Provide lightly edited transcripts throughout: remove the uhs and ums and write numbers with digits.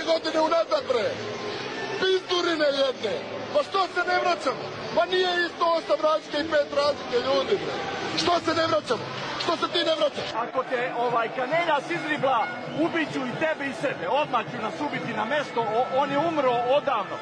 godine unazad, bre. Pizdurine jedne. Pa što se ne vraćamo? Pa nije isto 8 razlike i 5 razlike, ljudi, bre. Što se ne vraćamo? Što se ti ne vraćaš? Ako te Kaneljas izribla, ubiću i tebe i sebe. Odmah ću nas ubiti na mesto, on je umro odavno.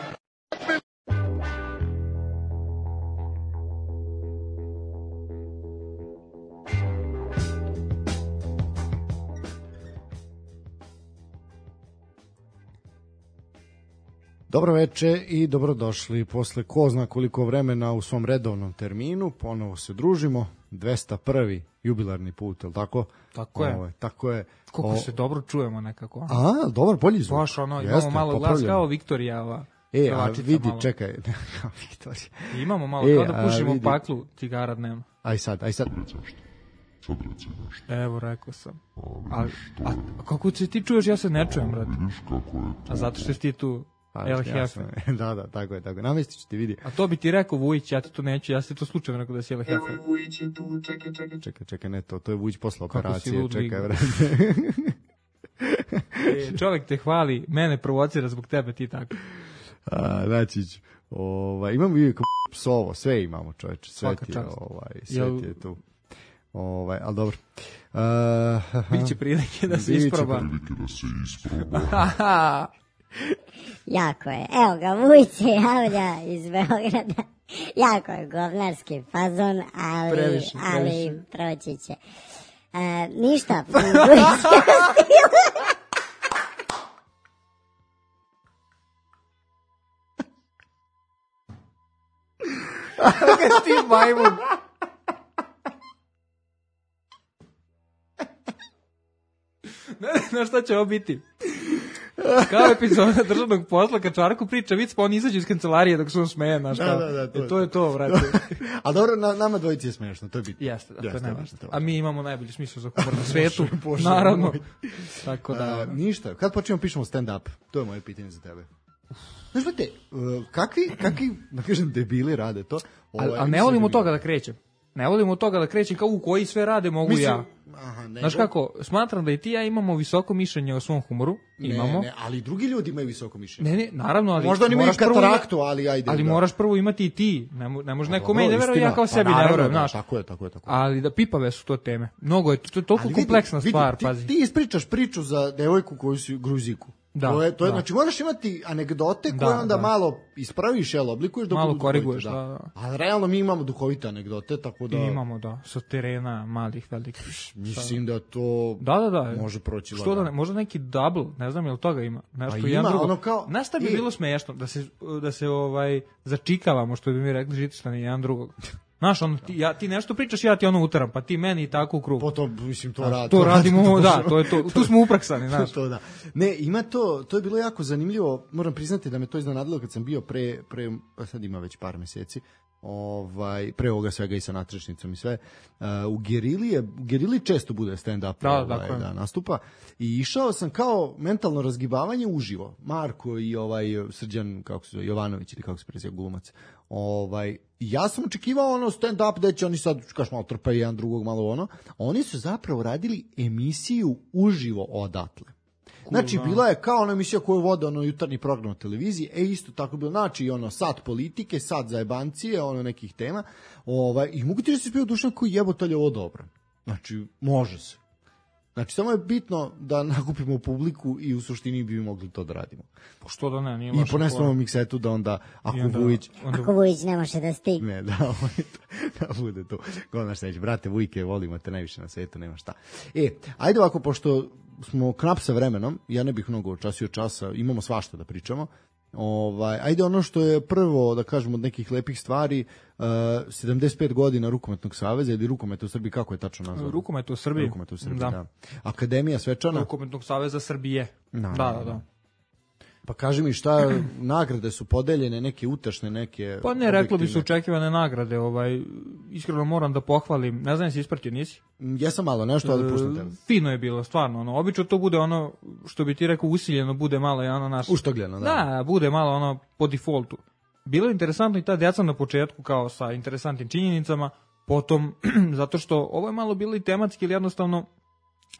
Dobro veče i dobrodošli posle ko zna koliko vremena u svom redovnom terminu. Ponovo se družimo, 201. jubilarni put, je li tako? Tako je. Tako je. Koliko se dobro čujemo nekako. A, dobar, bolji zvuk. Baš ono, imamo malo glas kao Viktorijava. A vidi, malo. Čekaj, kao Viktorija. Imamo malo, kao da pušimo paklu cigara dnevno. Aj sad. Evo, rekao sam. A kako se ti čuješ, ja se ne čujem, brate. A zato što si ti tu... El Jefe. Da, tako je. Namestit ću ti, vidi. A to bi ti rekao Vujić, ja ti to neću, ja se to slučajno rekao da si El Jefe. Evo Vujić je tu, čekaj, ne to je Vujić posle operacije, čekaj, vrati. Čovjek te hvali, mene provocira zbog tebe, ti tako. Znači ću. Imamo i psovo, sve imamo, čoveče, sve ti je tu. Ali dobro. Biće prilike da se isproba. Jako je. Evo ga, Vujić se javlja iz Beograda. Jako je govnarski fazon, ali proći će. Ništa. Kako ti majmun? Ne, šta će ovo biti? Kao epizoda državnog posla, kad Čvarku priča vic, pa on izađe iz kancelarije dok se on smeje, znaš kao. Da, to je to, vrati. A dobro, nama dvojici je smešno, to je bitno. Jeste, to je najvažno. A mi imamo najbolji smisao za humor na svetu, naravno. Tako da... Ništa, kad počnemo pišemo stand-up? To je moje pitanje za tebe. Znaš, brate, kakvi, da kažem, debili rade to? Ali ne volim od toga da krećem. Ne volim od toga da krećem kao u koji sve rade mogu ja. Znaš kako, smatram da i ti ja imamo visoko mišljenje o svom humoru. Imamo. Ne, ali drugi ljudi imaju visoko mišljenje. Ne, naravno, ali... Možda oni imaju kataraktu, ali ajde. Ali moraš prvo imati i ti. Ne može neko meni da veruje, ja kao sebi ne verujem, znaš. Tako je. Ali da pipave su to teme. Mnogo je, to je toliko kompleksna stvar, pazi. Ti ispričaš priču za devojku koju si Gruziku. To je, znači moraš imati anegdote koje onda malo ispraviš, oblikuješ dok malo koriguješ, da. A realno mi imamo duhovite anegdote, tako da imamo, sa terena malih, velikih. Mislim da to može proći. Što da ne, možda neki double, ne znam jel toga ima. Nešto jedan drugo. Znaš šta bi bilo smiješno da se začikavamo, što bi mi rekli žitištani jedan drugog. Znaš, ti nešto pričaš, ja ti utaram, pa ti meni i tako u krug. Potom, mislim, to radimo, to je to, tu smo upraksani, znaš. To da. Ne, ima to je bilo jako zanimljivo, moram priznati da me to iznenadilo kad sam bio pre sad ima već par meseci, pre ovoga svega i sa natrešnicom i sve, u Gerili često bude stand-up da nastupa i išao sam kao mentalno razgibavanje uživo. Marko i Srđan, kako se zove, Jovanović ili kako se preziva glumac, ja sam očekivao stand-up gde će oni sad, kaš malo trpaju jedan drugog, malo oni su zapravo radili emisiju uživo odatle. Znači, bila je kao ona emisija koju vode jutarnji program na televiziji, isto tako bilo, znači, sat politike, sat zajebancije, nekih tema, i mogu ti da se spio Dušan koji jebotalje ovo dobro. Znači, može se. Znači, samo je bitno da nakupimo publiku i u suštini bi mogli to da radimo. Što da ne, nije i ponesemo miksetu da onda, ako Vujić ne može da stigne. Ne, da bude to. Godnaš neće, brate, Vujke, volimo te najviše na svetu, nema šta. Ajde ovako, pošto smo knap sa vremenom, ja ne bih mnogo časa, imamo svašta da pričamo. Ajde ono što je prvo, da kažemo, od nekih lepih stvari, 75 godina Rukometnog saveza ili Rukometa u Srbiji, kako je tačno nazvano? Rukometa u Srbiji, da. Akademija svečana. Rukometnog saveza Srbije. Da. Pa kaži mi šta, nagrade su podeljene, neke utešne, neke... Pa ne, reklo bi su očekivane nagrade, iskreno moram da pohvalim, ne znam si ispratio, nisi? Jesam malo, nešto, ali puštam tebe. Fino je bilo, stvarno, obično to bude što bi ti rekao usiljeno, bude malo naš... Uštogljeno, da. Da, bude malo po defaultu. Bilo je interesantno i ta djeca na početku, kao sa interesantnim činjenicama, potom, zato što ovo je malo bilo i tematski, ili jednostavno,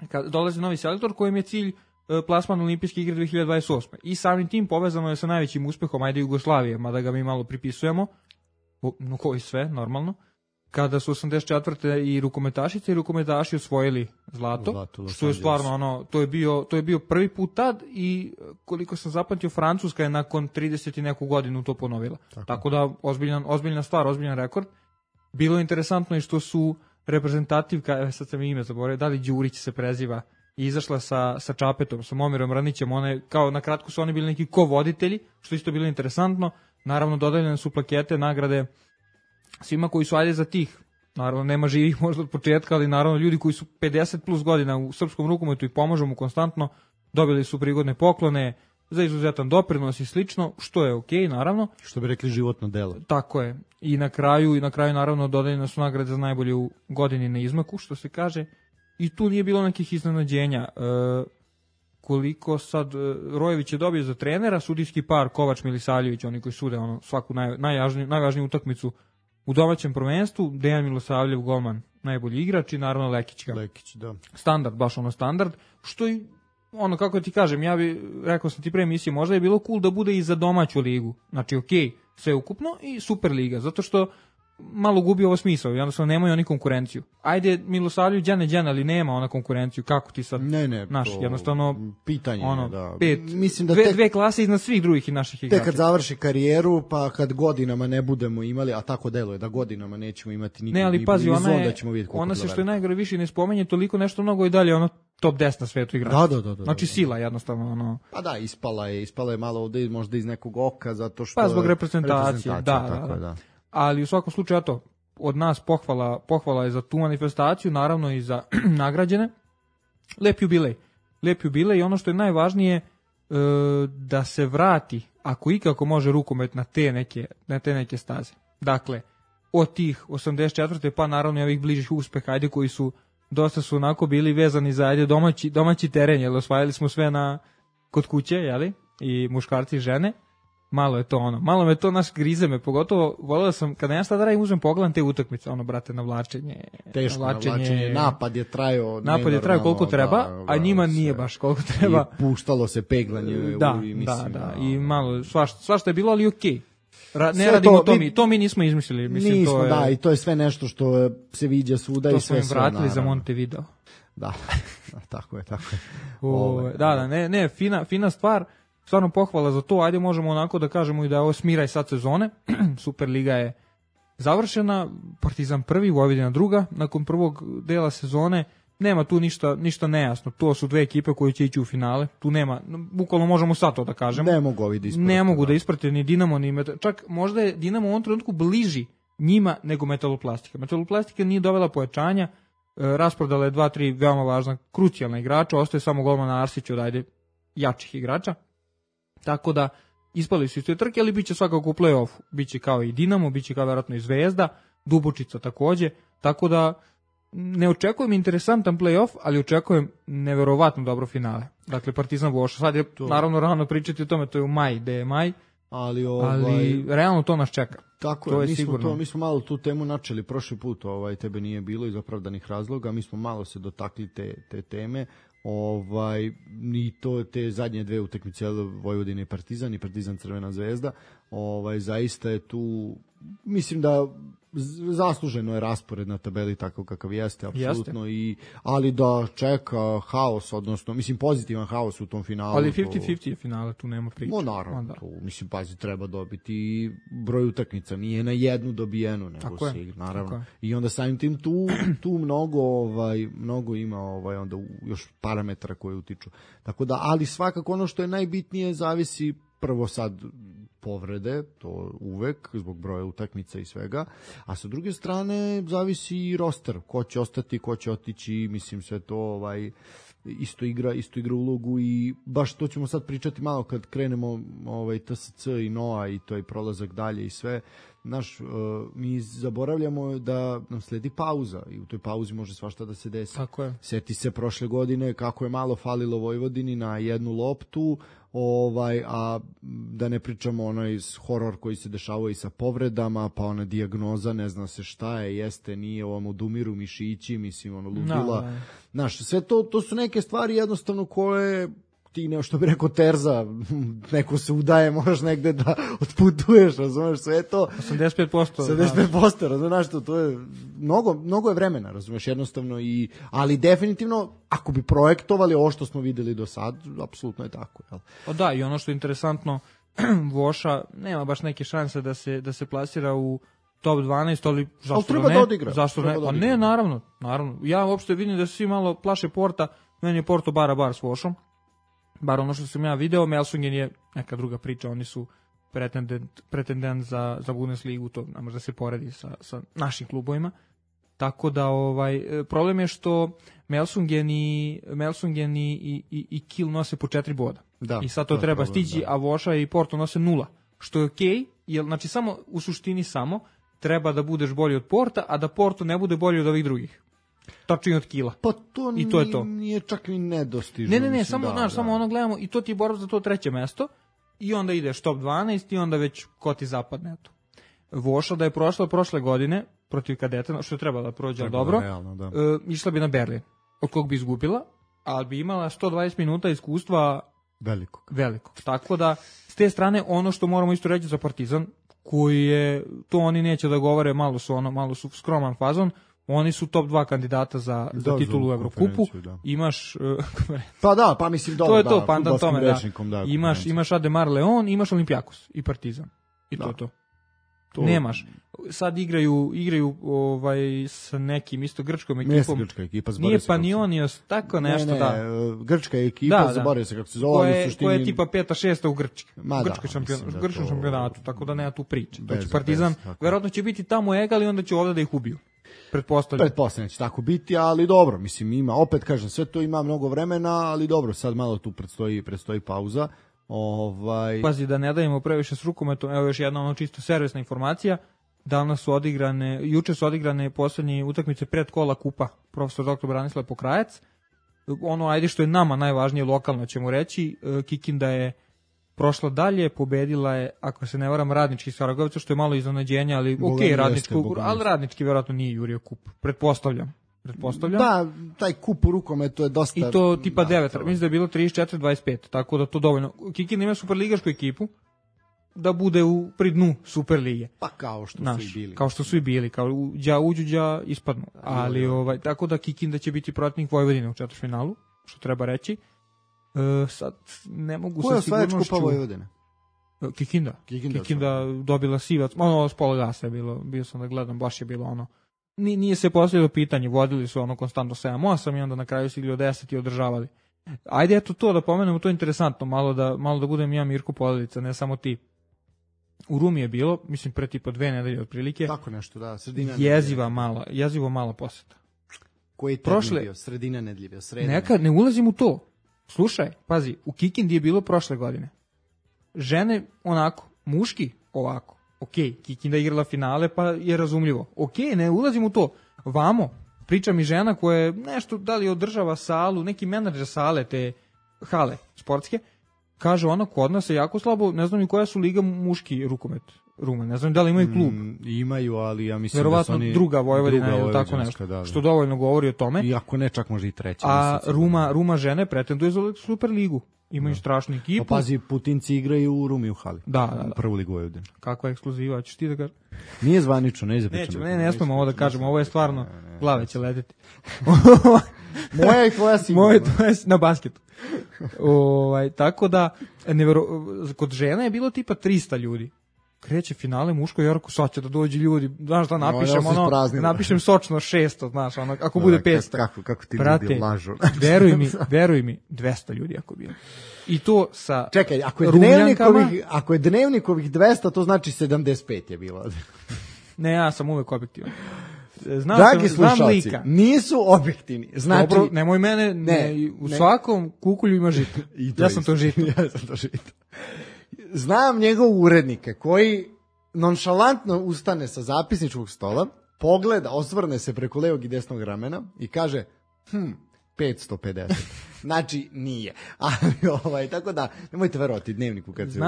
kad dolazi novi selektor kojem je cilj plasman olimpijske igre 2028. I samim tim povezano je sa najvećim uspehom, ajde Jugoslavije, mada ga mi malo pripisujemo, no koji sve, normalno, kada su 84. i rukometašice i rukometaši osvojili zlato što je stvarno to je bio prvi put tad i koliko sam zapamtio, Francuska je nakon 30 i neku godinu to ponovila. Tako da ozbiljna stvar, ozbiljan rekord. Bilo je interesantno i što su reprezentativka, sad sam ime zaboravio, da li Đurić se preziva, i izašla sa Čapetom, sa Momirom Ranićem, one, kao na kratko su oni bili neki ko-voditelji, što isto bilo interesantno. Naravno, dodeljene su plakete, nagrade svima koji su ajde za tih. Naravno, nema živih možda od početka, ali naravno ljudi koji su 50 plus godina u srpskom rukometu i pomažu mu konstantno, dobili su prigodne poklone za izuzetan doprinos i slično, što je okej, naravno. Što bi rekli životno delo. Tako je. I na kraju naravno dodeljene su nagrade za najbolju godini na izmaku, što se kaže. I tu nije bilo nekih iznenađenja. Koliko sad Rojević je dobio za trenera, sudijski par Kovač Milisavljević, oni koji sude svaku najvažniju utakmicu u domaćem prvenstvu, Dejan Milosavljev, golman, najbolji igrač i naravno Lekić, da. Standard, baš standard, što i kako ti kažem, ja bi rekao sam ti pre emisije, možda je bilo cool da bude i za domaću ligu, znači okej, sve ukupno i super liga, zato što malo gubi ovo smisao, jednostavno nemaju oni konkurenciju. Ajde, Milosavljev džene, ali nema ona konkurenciju, kako ti sad, jednostavno, pitanje, da. Mislim da dve klase iznad svih drugih i naših igrača. Tek kad završi karijeru, pa kad godinama ne budemo imali, a tako deluje da godinama nećemo imati nikog, ne, ali pazi, ona se što je najgore više ne spomenje toliko nešto mnogo i dalje, top 10 na svetu igrača. Da. Znači sila jednostavno. Pa da, ispala je malo ovde možda iz nekog oka, zato što... Pa zbog reprezentacije, da. Ali u svakom slučaju, od nas pohvala je za tu manifestaciju, naravno i za nagrađene. Lep jubilej i ono što je najvažnije, da se vrati, ako ikako može, rukomet na te neke staze. Dakle, od tih 84. pa naravno i ovih bližih uspeha, ajde, koji su dosta su onako bili vezani za domaći teren, jer osvajali smo sve kod kuće, jeli? I muškarci i žene. Malo me to grize me, pogotovo volio sam, kada ja sad radim, uzmem pogledam te utakmice, brate, navlačenje. Teško navlačenje, napad je trajao koliko treba, a njima nije baš koliko treba. I puštalo se peglanje. Da, i malo, svašta je bilo, ali okej. Ne radimo to mi nismo izmislili. Nismo, da, i to je sve nešto što se viđa svuda i sve. To smo im vratili za Montevideo. Da, tako je. Da, fina stvar. Stvarno pohvala za to, ajde možemo onako da kažemo i da je ovo smiraj sad sezone, Superliga je završena, Partizan prvi, Vojvodina druga, nakon prvog dela sezone, nema tu ništa nejasno, to su dve ekipe koje će ići u finale, tu nema, bukvalno možemo sad to da kažemo. Ne mogu da isprate ni Dinamo, čak možda je Dinamo u ovom trenutku bliži njima nego Metaloplastika. Metaloplastika nije dovela pojačanja, rasprodala je 2-3 veoma važna, krucijalna igrača, ostaje samo golman Arsić od jačih igrača. Tako da ispali su iz te trke, ali bit će svakako u play-offu. Biće kao i Dinamo, biće kao vjerojatno i Zvezda, Dubočica takođe. Tako da ne očekujem interesantan play-off, ali očekujem neverovatno dobro finale. Dakle, Partizan Voša. Sad je naravno rano pričati o tome, to je u maj, gde je maj. Ali realno to nas čeka. Tako to je, sigurno. Mi smo malo tu temu načeli prošli put, tebe nije bilo iz opravdanih razloga, mi smo malo se dotakli te teme. Ni to te zadnje dve utakmice Vojvodine i Partizan Crvena Zvezda, zaista je tu, mislim da zasluženo je raspored na tabeli tako kakav jeste, apsolutno, ali da čeka haos, odnosno, mislim, pozitivan haos u tom finalu. Ali 50-50 je finale, tu nema priče. Naravno, mislim, pazi, treba dobiti broj utakmica, nije na jednu dobijenu, nego se igra, naravno. I onda samim tim tu mnogo ima onda još parametara koje utiču. Tako da, ali svakako ono što je najbitnije zavisi prvo sad povrede, to uvek, zbog broja utakmica i svega, a sa druge strane zavisi i roster, ko će ostati, ko će otići, mislim sve to isto igra ulogu i baš to ćemo sad pričati malo kad krenemo TSC i NOA i to je prolazak dalje i sve. Mi zaboravljamo da nam sledi pauza i u toj pauzi može svašta da se desi. Tako je. Sjeti se prošle godine kako je malo falilo Vojvodini na jednu loptu, a da ne pričamo onaj horor koji se dešavao i sa povredama, pa ona dijagnoza, ne zna se šta je, jeste, nije, odumiru mišići, mislim, ludila. Sve to su neke stvari jednostavno koje ti što bi rekao Terza, neko se udaje, moraš negde da otputuješ, razumeš, sve to. 85%, razumeš, to je, mnogo je vremena, razumeš, jednostavno, ali definitivno, ako bi projektovali ovo što smo videli do sad, apsolutno je tako. Jel? O da, i ono što je interesantno, Voša nema baš neke šanse da se plasira u top 12, ali zašto treba da odigra. Zašto ne? Pa ne, naravno. Ja uopšte vidim da se svi malo plaše Porta, meni je Porto bar s Vošom. Bar ono što sam ja video, Melsungen je neka druga priča, oni su pretendent za Bundesligu, to ne može da se poredi sa našim klubovima. Tako da problem je što Melsungen i Kiel nose po 4 boda. Da, i sad to treba problem, stići, a Voša i Porto nose 0, što je okej, jer znači samo u suštini treba da budeš bolji od Porta, a da Porto ne bude bolji od ovih drugih. Tačno od Kila. Pa to, i to je to. Nije čak ni nedostižno. Ne, samo ono gledamo i to ti je borba za to 3. mesto i onda ideš top 12 i onda već ko ti zapadne. Eto. Voša da je prošla prošle godine protiv Kadeta, što je trebalo da prođe dobro, realno, da. Išla bi na Berlin, od kog bi izgubila, ali bi imala 120 minuta iskustva velikog. Tako da, s te strane, ono što moramo isto reći za Partizan, koji je, to oni neće da govore, malo su skroman fazon, oni su top 2 kandidata za titulu u Evrokupu. Da. Imaš pa mislim dobro. To je to, pandan tome, da. Imaš Ademar Leon, imaš Olimpijakos i Partizan. I to je to. Nemaš. Sad igraju sa nekim isto grčkom ekipom. Grčka ekipa, nije Panionios, tako nešto, ne, da. Grčka ekipa, zaboravio se kako se zove. Koja je tipa 5. 6. u grčkom šampionatu, tako da nema tu priče. Znači Partizan, verovatno će biti tamo egal i onda će ovdje da ih ubiju. Pretpostavljam će tako biti, ali dobro, mislim, ima, opet kažem, sve to ima mnogo vremena, ali dobro, sad malo tu predstoji pauza. Pazi, da ne dajemo previše s rukometom, evo još jedna čisto servisna informacija, juče su odigrane poslednje utakmice pred kola kupa profesor dr. Branislav Pokrajac, ajde što je nama najvažnije lokalno ćemo reći, Kikinda je prošla dalje, pobedila je, ako se ne varam, Radnički Saragovica, što je malo iznenađenja, ali ali Radnički vjerojatno nije jurio kup, pretpostavljam. Da, taj kup u rukometu je dosta... I to tipa 9, mislim da je bilo 34-25, tako da to dovoljno. Kikin ima superligašku ekipu da bude pri dnu Superlige. Pa kao što su i bili. Kao što su i bili, kao uđu, ispadnu. Ali, tako da Kikinda će biti protivnik Vojvodine u četvrtfinalu, što treba reći. Sad ne mogu sa sigurnošću... Ko je osvajač kupa Vojvodine? Kikinda dobila sivac, s pola gasa je bilo, bio sam da gledam, baš je bilo ono. Nije se postavilo pitanje, vodili su konstantno 7-8 i onda na kraju su igli od 10 i održavali. Ajde eto to da pomenemo, to je interesantno, malo da budem ja Mirko Poledica, ne samo ti. U Rumi je bilo, mislim pre tipa 2 nedelje otprilike. Tako nešto, da, sredina jezivo mala poseta. Koji termin bio? Sredina nedelje, sredina. Nekad ne ulazim u to. Slušaj, pazi, u Kikindi je bilo prošle godine. Žene onako, muški ovako. Ok, Kikinda igrala finale, pa je razumljivo. Ok, ne ulazim u to. Vamo, priča mi žena koja je nešto, da li održava salu, neki menadžer sale, te hale sportske, kaže ona, kod nas je jako slabo, ne znam ni koja su liga muški rukomet. Rumen, ne znam da li imaju klub. Imaju, ali ja mislim verovatno da su oni... druga Vojvodina ili tako nešto, da. Što dovoljno govori o tome. I ako ne, čak može i treća. A Ruma žene pretenduje za Superligu. Imaju strašnu ekipu. Pa pazi, Putinci igraju u Rumi u hali. Da. Prvu ligu Vojvodine. Kakva ekskluziva, ćeš ti da kažeš? Nije zvanično, ne izpričamo. Ne smemo ovo da kažemo, ovo je stvarno, glave će leteti. Moja i tvoja sigurno. Moja i tvoja na basketu. Tako da, kod žena je bilo tipa 300 ljudi. Kreće finale muško, Jorko, sad će da dođe ljudi, znaš da napišem sočno 600, znaš, ako bude 500. Kako ti ljudi lažu. Veruj mi, 200 ljudi ako bilo. I to sa čekaj, ako je dnevnikovih 200, to znači 75 je bilo. Ne, ja sam uvek objektivan. Dragi slušalci, nisu objektivni. Znači, dobro, nemoj mene, u svakom kukulju ima žito. Ja sam to žito. Znam njegov urednike koji nonšalantno ustane sa zapisničkog stola, pogleda, osvrne se preko levog i desnog ramena i kaže 550. Znači, nije. Ali, tako da, nemojte verovati dnevniku kad se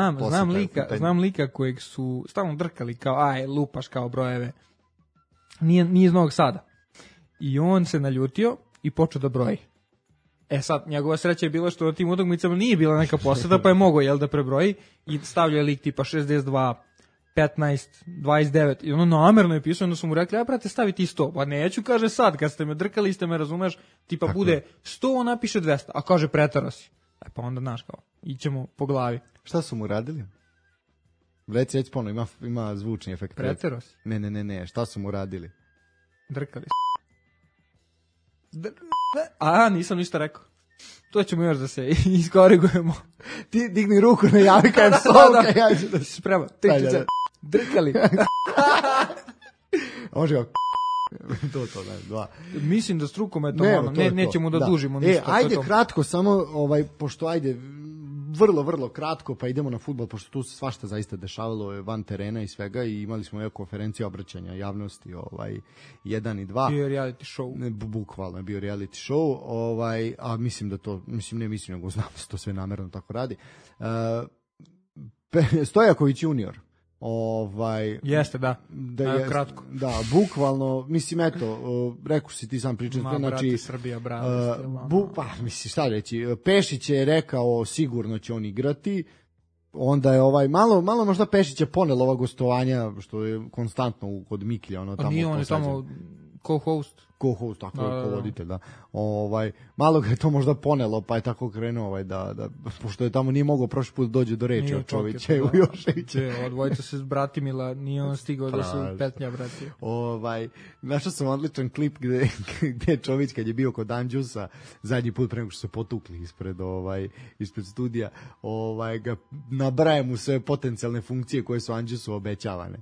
znam lika kojeg su stalno drkali kao, lupaš kao brojeve. Nije iz Novog Sada. I on se naljutio i počeo da broji. Sad, njegova sreća je bila što na tim utakmicama nije bila neka poseda, pa je mogao, da prebroji i stavlja lik tipa 62, 15, 29 i ono namerno je pisao, onda su mu rekli, brate, stavi ti 100. Pa neću, kaže sad, kad ste me drkali, ste me, razumeš, tipa tako bude 100, on napiše 200, a kaže pretero si. Pa onda, znaš, kao, ićemo po glavi. Šta su mu radili? Reci ponovno, ima zvučni efekt. Pretero si. Ne, šta su mu radili? Drkali nisam ništa rekao. To ćemo još da se iskorigujemo. Ti digni ruku, ne javi kajem slovka, ja ću da se sprema. Drkali. Može ga to, dva. Mislim da s rukometom nećemo da dužimo ništa. Ajde kratko, samo, pošto vrlo kratko, pa idemo na fudbal, pošto tu se svašta zaista dešavalo van terena i svega i imali smo konferencije obraćanja javnosti 1 i 2. Bio reality show. Bukvalno je bio reality show, a mislim da to, nego znam da se to sve namerno tako radi. Stojaković junior. Jeste, da kratko. Da, bukvalno, mislim, rekao si ti sam pričati. Brate, Srbija, brate. Mislim, šta reći, Pešić je rekao sigurno će on igrati, onda je malo možda Pešić je ponelo ova gostovanja, što je konstantno kod Miklja. A nije on je tamo co-host, tako je, co-voditelj, da. Malo ga je to možda ponelo, pa je tako krenuo, da, pošto je tamo nije mogao prošli put dođe do reči od Čovića i Ujoševića. Odvojica se s Bratimila, nije on stigao da su petnja bratija. Našao sam odličan klip gde Čović, kad je bio kod Anđusa, zadnji put pre nego što se potukli ispred studija, ga nabraje mu sve potencijalne funkcije koje su Anđusu obećavane.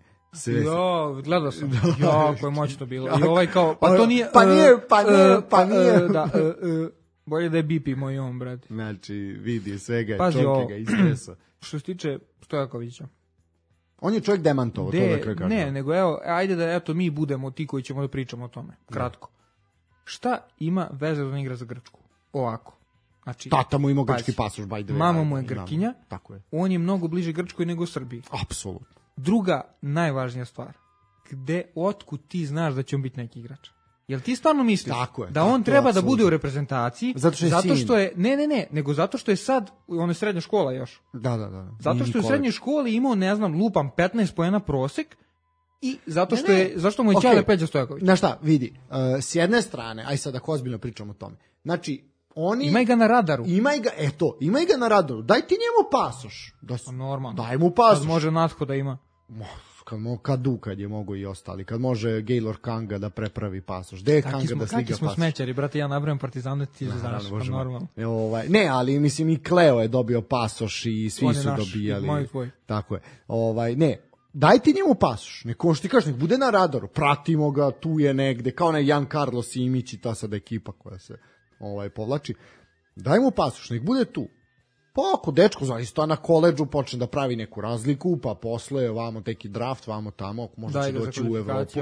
Gledao sam. Jako je moćno bilo. I kao, pa to nije... Pa nije. Da, bolje da je BP moj brate. Znači, vidi svega, čovjek ga istresao. Što se tiče Stojakovića. On je čovjek demantovao, to da kraj kažem. Ne, nego ajde da mi budemo ti koji ćemo da pričamo o tome. Kratko. Šta ima veze da on igra za Grčku? Ovako. Znači, tata mu ima grčki pasoš, by the way. Mama mu je Grkinja. Tako je. On je mnogo bliže Grčkoj nego Srbiji. Apsolutno. Druga najvažnija stvar, otkud ti znaš da će on biti neki igrač? Jel ti stvarno misliš da on treba da bude u reprezentaciji zato što je, nego zato što je sad, on je srednja škola još. Da. Zato što je u srednjoj školi imao, lupam 15 poena prosek i zašto mu je Ćale Peđa Stojaković. Znaš šta, vidi, s jedne strane, aj sad ako ozbiljno pričamo o tome, znači, imaj ga na radaru. Imaj ga na radaru. Daj ti njemu pasoš. Normalno. Daj mu pasoš. Kad može Natko da ima. Kad je mogo i ostali. Kad može Gaylor Kanga da prepravi pasoš. Gde je Kanga da sliga pasoš? Kakvi smo smećari, brate, ja nabrajam Partizane, ti znaš, normalno. Ne, ali mislim i Kleo je dobio pasoš i svi su dobijali. Moj tvoj. Tako je. Ne, daj ti njemu pasoš. Nek bude na radaru. Pratimo ga, tu je negde, kao onaj Jan Carlos Simić i ta sada ekipa koja se povlači. Daj mu pasoš, nek bude tu. Pa ako dečko zaista na koledžu počne da pravi neku razliku, pa posle vamo teki draft, vamo tamo, možda će doći u Evropu.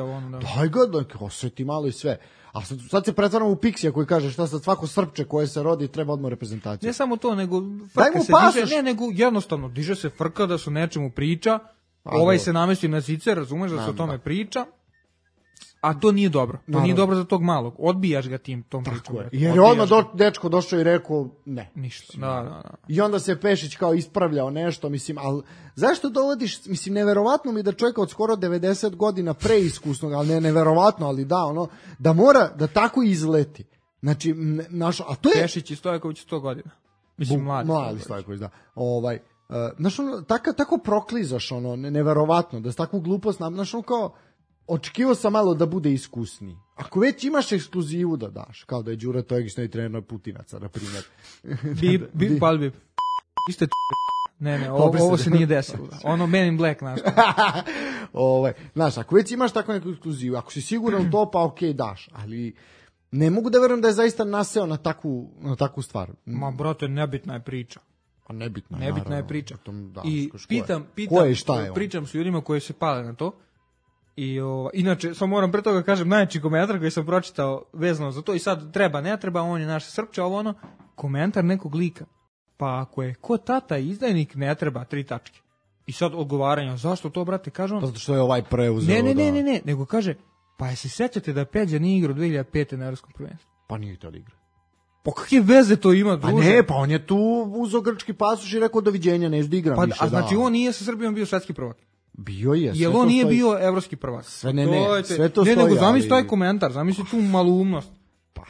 Daj ga, da osjeti malo i sve. A sad se pretvaramo u Pixija koji kaže šta sad svako srpče koje se rodi treba odmah reprezentaciju. Ne samo to, nego frka se diže, nego jednostavno diže se frka da se o nečemu priča, se namesti na zice, razumeš da se o tome priča. A to nije dobro. To nije dobro za tog malog. Odbijaš ga tom pričom. Jer je odmah dečko došao i rekao ne. Ništa. Da. I onda se Pešić kao ispravljao nešto, mislim, ali zašto dovodiš, mislim, neverovatno mi da čovjeka od skoro 90 godina preiskusnog, ali ne neverovatno, ali da mora da tako izleti. Znači, a to je... Pešić i Stojaković 100 godina. Mislim, mladi Stojaković, da. Znaš, tako proklizaš, neverovatno, da s takvu glupost, znaš, kao... Očekivao sam malo da bude iskusniji. Ako već imaš ekskluzivu da daš, kao da je Đura Tojegić novi trener Putinaca, na primjer. Bip. Iste Ne, ovo se nije desilo. Men in Black, znaš. Znaš, ako već imaš takvu neku ekskluzivu, ako si siguran u to, pa okej, daš. Ali ne mogu da verujem da je zaista naseo na takvu stvar. Ma, brate, nebitna je priča. A nebitna je priča. I pričam s ljudima koji se pale na to. I inače, samo moram pre toga kažem, najjači komentar koji sam pročitao vezano za to i sad treba, ne treba, on je naš Srpče, komentar nekog lika. Pa ako je ko tata izdajnik, ne treba 3 tačke. I sad odgovaranja, zašto to, brate, kaže on? Zato što je preuzeo. Ne, nego kaže, pa se sećate da Peđa nije igrao 2005. na Evropskom prvenstvu? Pa nije to igra. Pa kakve veze to ima, druže? Pa ne, pa on je tu uzeo grčki pasoš i rekao doviđenja, neću da igram više. A znači on nije sa Srbijom bio svetski prvak? Bio je. Jel on nije bio evropski prvak? Sve sve to stoji. Ne, nego zamisli taj komentar, zamisli tu maloumnost. Pa,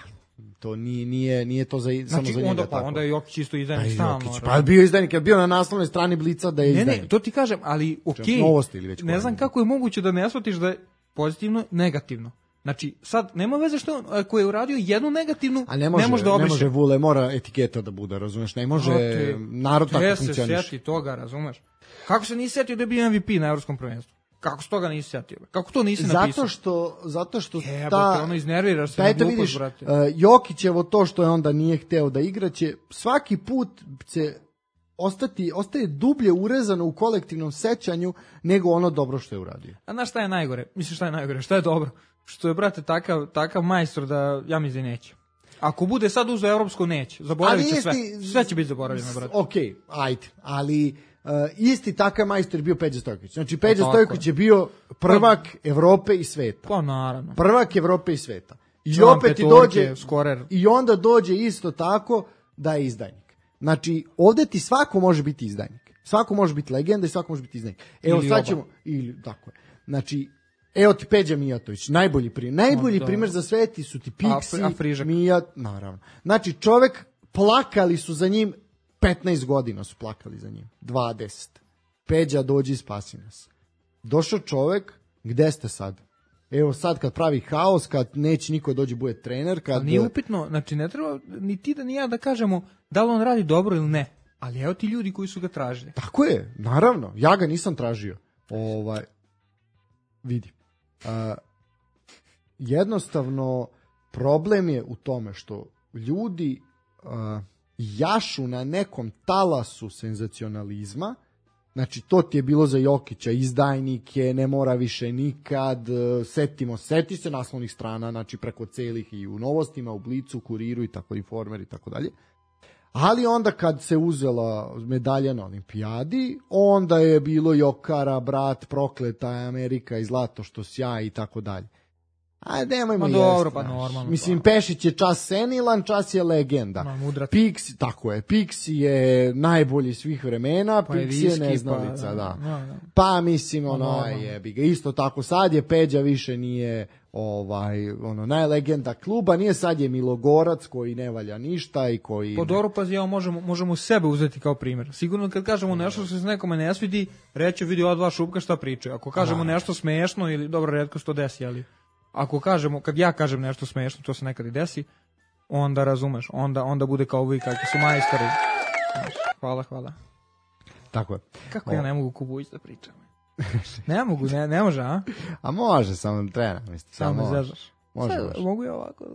to nije to samo za njega onda, tako. Onda je Jokić isto izdajnik stalno. Pa bio izdajnik, je bio na naslovnoj strani Blica da je izdajnik. Ne, to ti kažem, ali okej. Novosti ili već. Ne znam kako je moguće da ne shvatiš da je pozitivno, negativno. Znači, sad, nema veze što ako je uradio jednu negativnu, ne može da obriše. Ne može Vule, mora etiketa da bude, razumeš? Ne može narod tako funkcioniš. Se sjeti toga, razumeš? Kako se nisi setio da je bio MVP na evropskom prvenstvu? Kako se toga nisi setio? Kako to nisi napisao? Zato što ono iznerviraš se na glupost, brate. Jokićevo to što je onda nije hteo da igra će svaki put se ostaje dublje urezano u kolektivnom sećanju nego ono dobro što je uradio. A znaš šta je najgore? Misliš šta je najgore? Šta je dobro? Što je, brate, takav majstor da ja mislim da neće. Ako bude sad uzeo evropsko, neće. Zaboravit će sve. Sve će biti zaboravljeno, brate. Okej, ajde, ali isti takav majstor je bio Peđa Stojković. Znači, Peđa Stojković je bio prvak Evrope i sveta. Pa naravno. Prvak Evrope i sveta. I opet ti dođe, skorer. I onda dođe isto tako da je izdajnik. Znači, ovde ti svako može biti izdajnik. Svako može biti legenda i svako može biti izdajnik. Evo, sad ćemo, tako je. Znači, evo ti Peđa Mijatović, najbolji primjer za sve ti su ti Pixi, Mijat, naravno. Znači, čovek, plakali su za njim, 15 godina su plakali za njim, 20. Peđa, dođi, spasi nas. Došao čovek, gde ste sad? Evo sad kad pravi haos, kad neće niko dođi bude trener, kad... Nije upitno, znači ne treba ni ti da ni ja da kažemo da li on radi dobro ili ne, ali evo ti ljudi koji su ga tražili. Tako je, naravno, ja ga nisam tražio. Vidi. Jednostavno, problem je u tome što ljudi jašu na nekom talasu senzacionalizma. Znači, to ti je bilo za Jokića, izdajnike, ne mora više nikad, seti se naslovnih strana, znači preko celih i u Novostima, u Blicu, Kuriru i tako, Informer i tako dalje. Ali onda kad se uzela medalja na olimpijadi, onda je bilo Jokara, brat, prokleta Amerika i zlato što sja i tako dalje. Ajde, nemojmo jesti. Dobro, pa normalno. Mislim, Pešić je čas senilan, čas je legenda. Pixi, tako je, Pixi je najbolji svih vremena, pa Pixi je neznalica, da. Pa mislim, jebi ga. Isto tako, sad je Peđa više nije najlegenda kluba, nije sad je Milogorac koji ne valja ništa i koji... Po dobro, pazi, možemo sebe uzeti kao primjer. Sigurno kad kažemo nešto što se nekome ne svidi, reći vidi ova dva šupka šta pričaju. Ako kažemo nešto smešno ili dobro, retko što desi, ali... Ako kažemo, kad ja kažem nešto smešno, to se nekad i desi, onda razumeš, onda bude kao vi kakvi su majstori. Hvala. Tako je. Kako ja ne mogu Kubujić da pričam? Ne mogu, ne može, a? A može, samo treba, mislim. Samo zežaš. Može. Mogu ja ovako.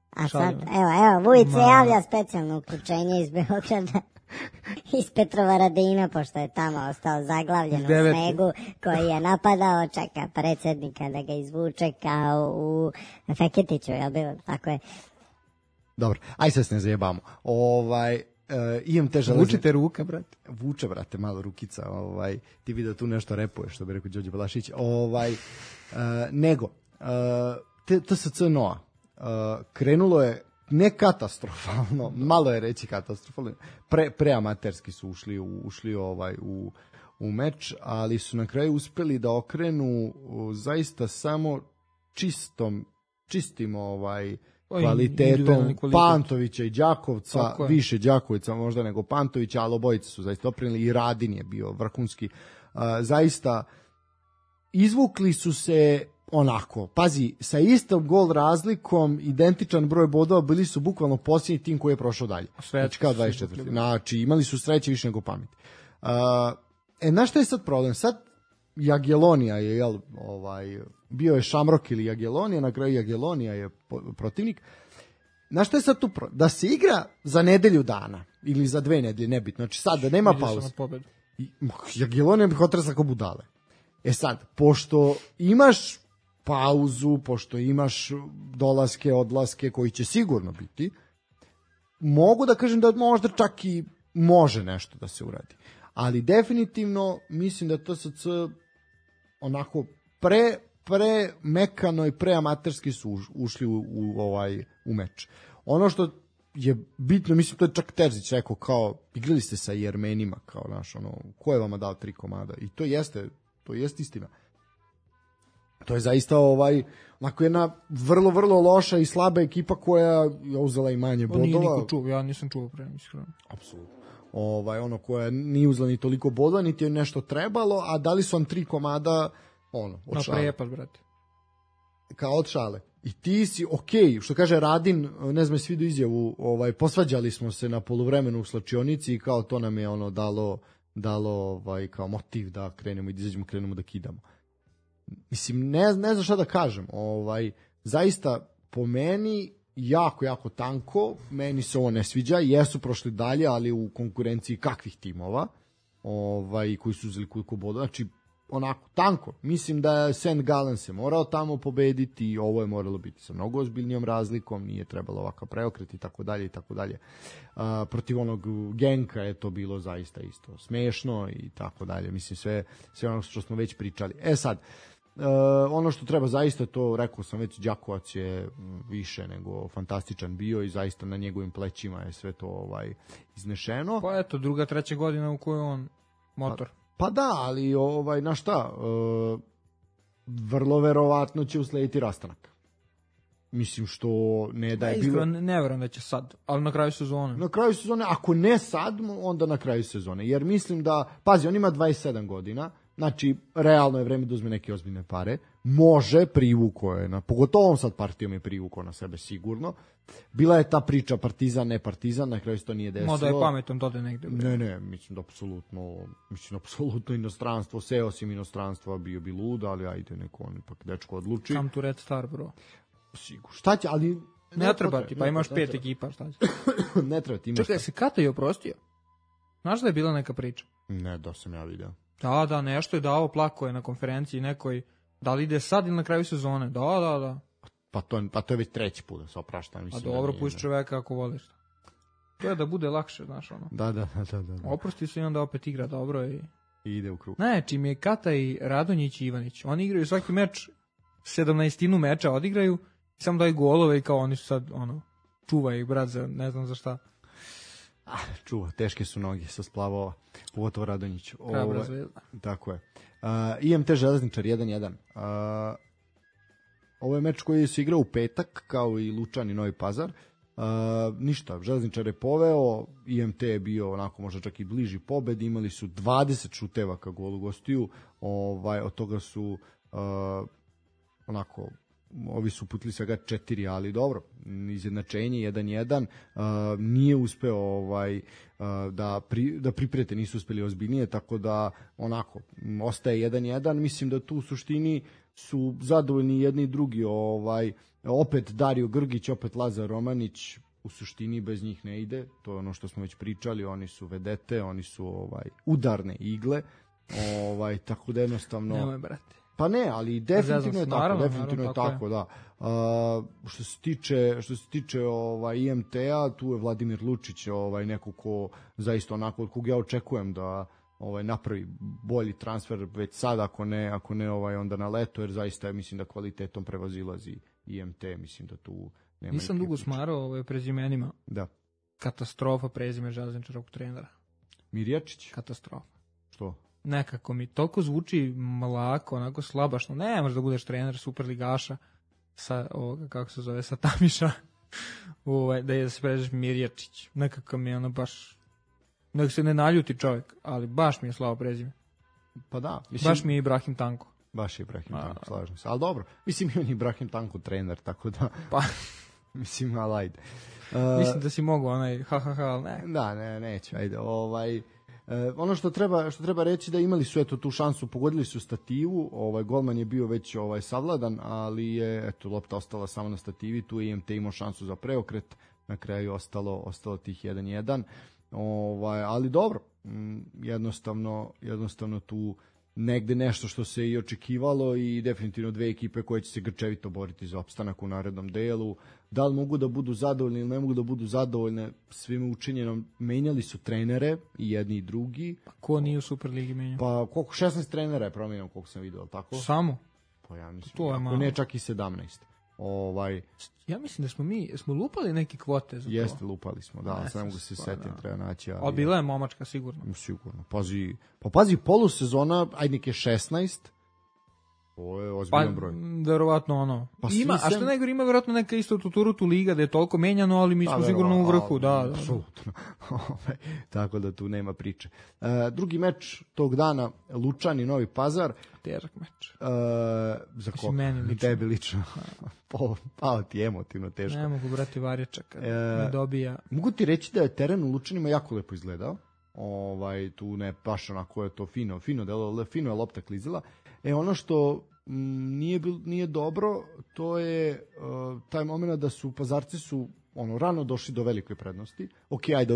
A sad, evo, Vujić se javlja specijalno uključenje iz Beograda. Iz Petrovaradina, pošto je tamo ostao zaglavljen u snegu, koji je napadao, čeka predsjednika da ga izvuče kao u Feketiću, jel bilo? Tako je. Dobro, aj sad se ne zajebamo. Imam te železne... Vučite ruka, brate. Vuče, brate, malo rukica. Ti vidio tu nešto repuješ, što bi rekao Đorđe Balašić. Nego, TSC Noa krenulo je ne katastrofalno, malo je reći katastrofalno, preamaterski su ušli u meč, ali su na kraju uspeli da okrenu zaista samo čistim kvalitetom Pantovića i Đakovca, više Đakovica možda nego Pantovića, ali obojice su zaista oprenili i Radin je bio vrhunski. Zaista izvukli su se onako, pazi, sa istom gol razlikom, identičan broj bodova, bili su bukvalno posljednji tim koji je prošao dalje. Znači kao 24. Znači, imali su sreće više nego pameti. Znaš šta je sad problem? Sad Jagiellonija je, bio je Šamrok ili Jagiellonija, na kraju Jagiellonija je protivnik. Znaš šta je sad tu problem? Da se igra za nedelju dana, ili za 2 nedelje, nebitno. Znači sad da nema pauze. Jagiellonija bi hotrasa kao budale. Sad, pošto imaš pauzu, pošto imaš dolaske, odlaske koji će sigurno biti, mogu da kažem da možda čak i može nešto da se uradi. Ali definitivno mislim da TSC onako pre mekano i pre amaterski su ušli u meč. Ono što je bitno, mislim, to je čak Terzić rekao, kao, igrali ste sa Jermenima, kao, znaš, ono, ko je vama dao 3 komada? I to jeste istina. To je zaista, onako jedna vrlo loša i slaba ekipa koja je uzela i manje bodova. Nije niko čuo, ja nisam čuo pre, iskreno. Apsolutno. Koja nije uzela ni toliko bodova, niti je nešto trebalo, a dali su vam 3 komada, od šale. Prejepaš, brate. Kao od šale. I ti si, što kaže Radin, ne znam, svi do izjavu, posvađali smo se na poluvremenu u slačionici i kao to nam je dalo kao motiv da krenemo i da izađemo, krenemo da kidamo. Mislim, ne znam šta da kažem. Zaista, po meni, jako tanko, meni se ovo ne sviđa, jesu prošli dalje, ali u konkurenciji kakvih timova, koji su uzeli koliko bodova, znači, onako, tanko. Mislim da je St. Gallen se morao tamo pobediti i ovo je moralo biti sa mnogo ozbiljnijom razlikom, nije trebalo ovakav preokret i tako dalje. Protiv onog Genka je to bilo zaista isto smešno i tako dalje. Mislim, sve ono što smo već pričali. Sad, ono što treba zaista, to rekao sam već, Đakovac je više nego fantastičan bio i zaista na njegovim plećima je sve to iznešeno. Pa eto, 2., 3. godina u kojoj on motor. Pa da, ali na šta, vrlo verovatno će uslediti rastanak. Mislim što ne da je bilo... Iskreno, ne verujem da će sad, ali na kraju sezone. Na kraju sezone, ako ne sad, onda na kraju sezone. Jer mislim da, pazi, on ima 27 godina, znači, realno je vreme da uzme neke ozbiljne pare, može, privuko je, pogotovo on sad partijom je privuko na sebe sigurno. Bila je ta priča Partizan, ne Partizan, na kraju se to nije desilo. Možda je pametom to da negde. Ne, mislim da apsolutno inostranstvo, seo si inostranstva, bio bi lud, ali ajde, neko on ipak dečko odluči. Come to Red Star, bro. Sigurno. Šta će, ali... Ne treba ti, pa imaš 5 ekipa, šta će? Ne treba ti, imaš... Čekaj, se Kata je oprostio? Znaš da je bila neka priča? Ne, da sam ja video. Da, nešto je dao, plako je na konferenciji nekoj, da li ide sad ili na kraju sezone, da. Pa to je već 3. put da se oprašta. A dobro, pusti čoveka ako voliš. To je da bude lakše, znaš ono. Da. Oprosti se i onda opet igra dobro i ide u krug. Ne, čim je Kata i Radonjić i Ivanić, oni igraju svaki meč, 17 meča odigraju, samo daju golove i kao oni su sad, čuva ih brat za ne znam za šta. Čuva, teške su noge sa splavova, pogotovo Radonjić. Tako je. IMT Železničar 1-1. Ovo je meč koji se igrao u petak, kao i Lučan i Novi Pazar. Ništa, Železničar je poveo, IMT je bio onako možda čak i bliži pobedi, imali su 20 šuteva ka golu gostiju, od toga su onako, ovi su putili svega 4, ali dobro, izjednačenje 1-1, nije uspeo da priprete, nisu uspeli ozbiljnije, tako da onako, ostaje 1-1, mislim da tu u suštini su zadovoljni jedni i drugi, opet Dario Grgić, opet Lazar Romanić, u suštini bez njih ne ide, to je ono što smo već pričali, oni su vedete, oni su udarne igle, tako da jednostavno... Nemoj, brate. Pa ne, ali definitivno je tako, definitivno je tako, da. Što se tiče IMT-a, tu je Vladimir Lučić, neko ko zaista onako, od kog ja očekujem da napravi bolji transfer već sad, ako ne onda na leto, jer zaista mislim da kvalitetom prevazilazi IMT, mislim da tu nema... Nisam dugo smarao prezimenima. Da. Katastrofa prezime železničarog trenera. Mirjačić? Katastrofa. Što? Nekako mi toliko zvuči mlako, onako slabašno. Ne možeš da budeš trener superligaša sa ovoga, kako se zove, sa Tamiša, da se pređeš Mirjačić. Nekako mi je baš... Nek se ne naljuti čovjek, ali baš mi je slavo prezime. Pa da. Baš mi je Ibrahim Tanko. Baš je Ibrahim Tanko, slažem se. Ali dobro, mislim i on je Ibrahim Tanko trener, tako da... Pa... mislim, ali ajde. Mislim da si mogu ali ne. Da, neću, ajde. Ono što treba reći da imali su tu šansu, pogodili su stativu, golman je bio već savladan, ali je lopta ostala samo na stativi, tu je IMT imao šansu za preokret, na kraju ostalo tih 1-1, ali dobro, jednostavno tu negde nešto što se i očekivalo i definitivno 2 ekipe koje će se grčevito boriti za opstanak u narednom delu. Da li mogu da budu zadovoljni ili ne mogu da budu zadovoljne svime učinjenom, menjali su trenere i jedni i drugi. Pa ko nije u Superligi menjao? Pa koliko, 16 trenera je promijenio, koliko sam vidio, tako? Samo? Pa ja mislim, to je ako ne čak i 17. Ja mislim da smo lupali neke kvote za to. Jeste, lupali smo, da, sad ne mogu se setim, treba naći. Ali bila je momačka, sigurno. Sigurno, pazi, polusezona, ajde nek je 16, to je ozbiljan broj. Verovatno ono. Ima, a što najgore, ima verovatno neka isto tu liga da je toliko menjano, ali mi smo sigurno u vrhu, da. Apsolutno. Tako da tu nema priče. Drugi meč tog dana, Lučani, Novi Pazar. Težak meč. Za koga? Meni lično. Tebi lično. Pao ti emotivno teško. Ne mogu brati Varjača kad ne dobija. Mogu ti reći da je teren u Lučanima jako lepo izgledao. Tu ne baš onako je to fino delo, fino je lopta klizila. Ono što nije dobro, to je taj moment da su Pazarci rano došli do velike prednosti. Ok, ajde,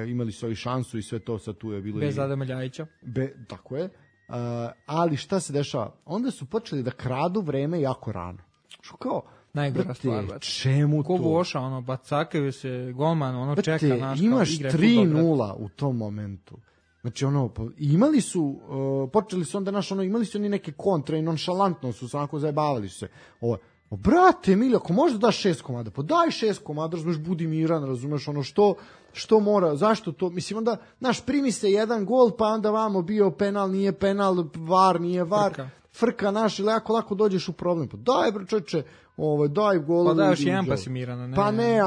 imali su i šansu i sve to, sad tu je bilo bez Adama Ljajića. Tako je. Ali šta se dešava? Onda su počeli da kradu vreme jako rano. Što kao, najgora stvar, čemu to? Ko voša, bacakaju se, golman, čeka naš. Imaš 3-0 u tom momentu. Znači, imali su, počeli su onda imali su oni neke kontre i nonšalantno su onako zajebavali su se. Brate, Emilio, ako možda daš 6 komada, pa daj 6 komada, razumeš, budi miran, razumeš, što mora, zašto to, mislim, onda, primi se jedan gol, pa onda vamo bio penal, nije penal, var, nije var, frka naš, ili lako dođeš u problem, pa daj, bre, čoče, daj gol. Pa daj još jedan pa si miran, ne. Pa ne,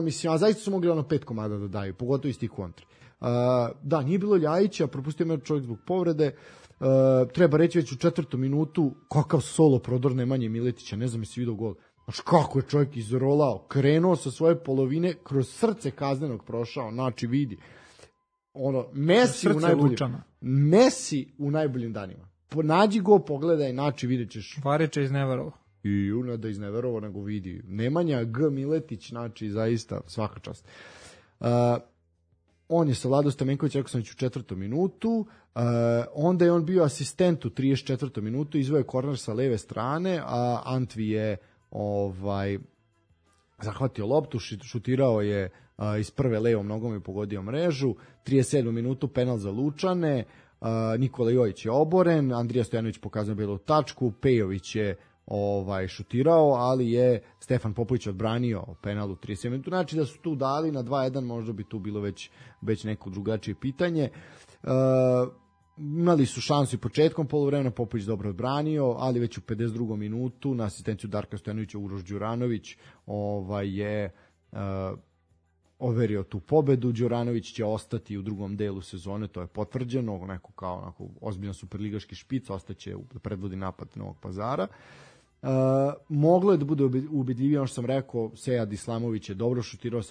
mislim, a zaista su mogli 5 komada da daju, pogotovo iz tih kontri. Da, nije bilo Ljajića, propustio me čovjek zbog povrede. Treba reći već u 4. minutu kakav solo prodor Nemanje Miletića, ne znam jesi vidio gol. Znači kako je čovjek izrolao, krenuo sa svoje polovine, kroz srce kaznenog prošao, znači vidi. Messi u najboljim danima. Nađi go, pogledaj, znači vidjet ćeš. Vareča izneverovo. I ne da izneverovo, nego vidi. Nemanja G. Miletić, znači zaista svaka čast. On je sa Vlado Stamenković, rekao sam već u 4. minutu, onda je on bio asistent u 34. minutu, izveo je korner sa leve strane, a Antvi je zahvatio loptu, šutirao je iz prve levom nogom i pogodio mrežu, 37. minutu penal za Lučane, Nikola Jojić je oboren, Andrija Stojanović pokazao belu tačku, Pejović je šutirao, ali je Stefan Popović odbranio penal u 37 minuta. Znači da su tu dali na 2-1, možda bi tu bilo već neko drugačije pitanje. Imali su šansu i početkom poluvremena, Popović dobro odbranio, ali već u 52. minutu na asistenciju Darka Stojanovića Uroš Đuranović je overio tu pobedu. Đuranović će ostati u drugom delu sezone, to je potvrđeno, onako ozbiljan superligaški špic, ostaće da predvodi napad Novog Pazara. Moglo je da bude ubedljivije, ono što sam rekao, Sejad Islamović je dobro šutirao,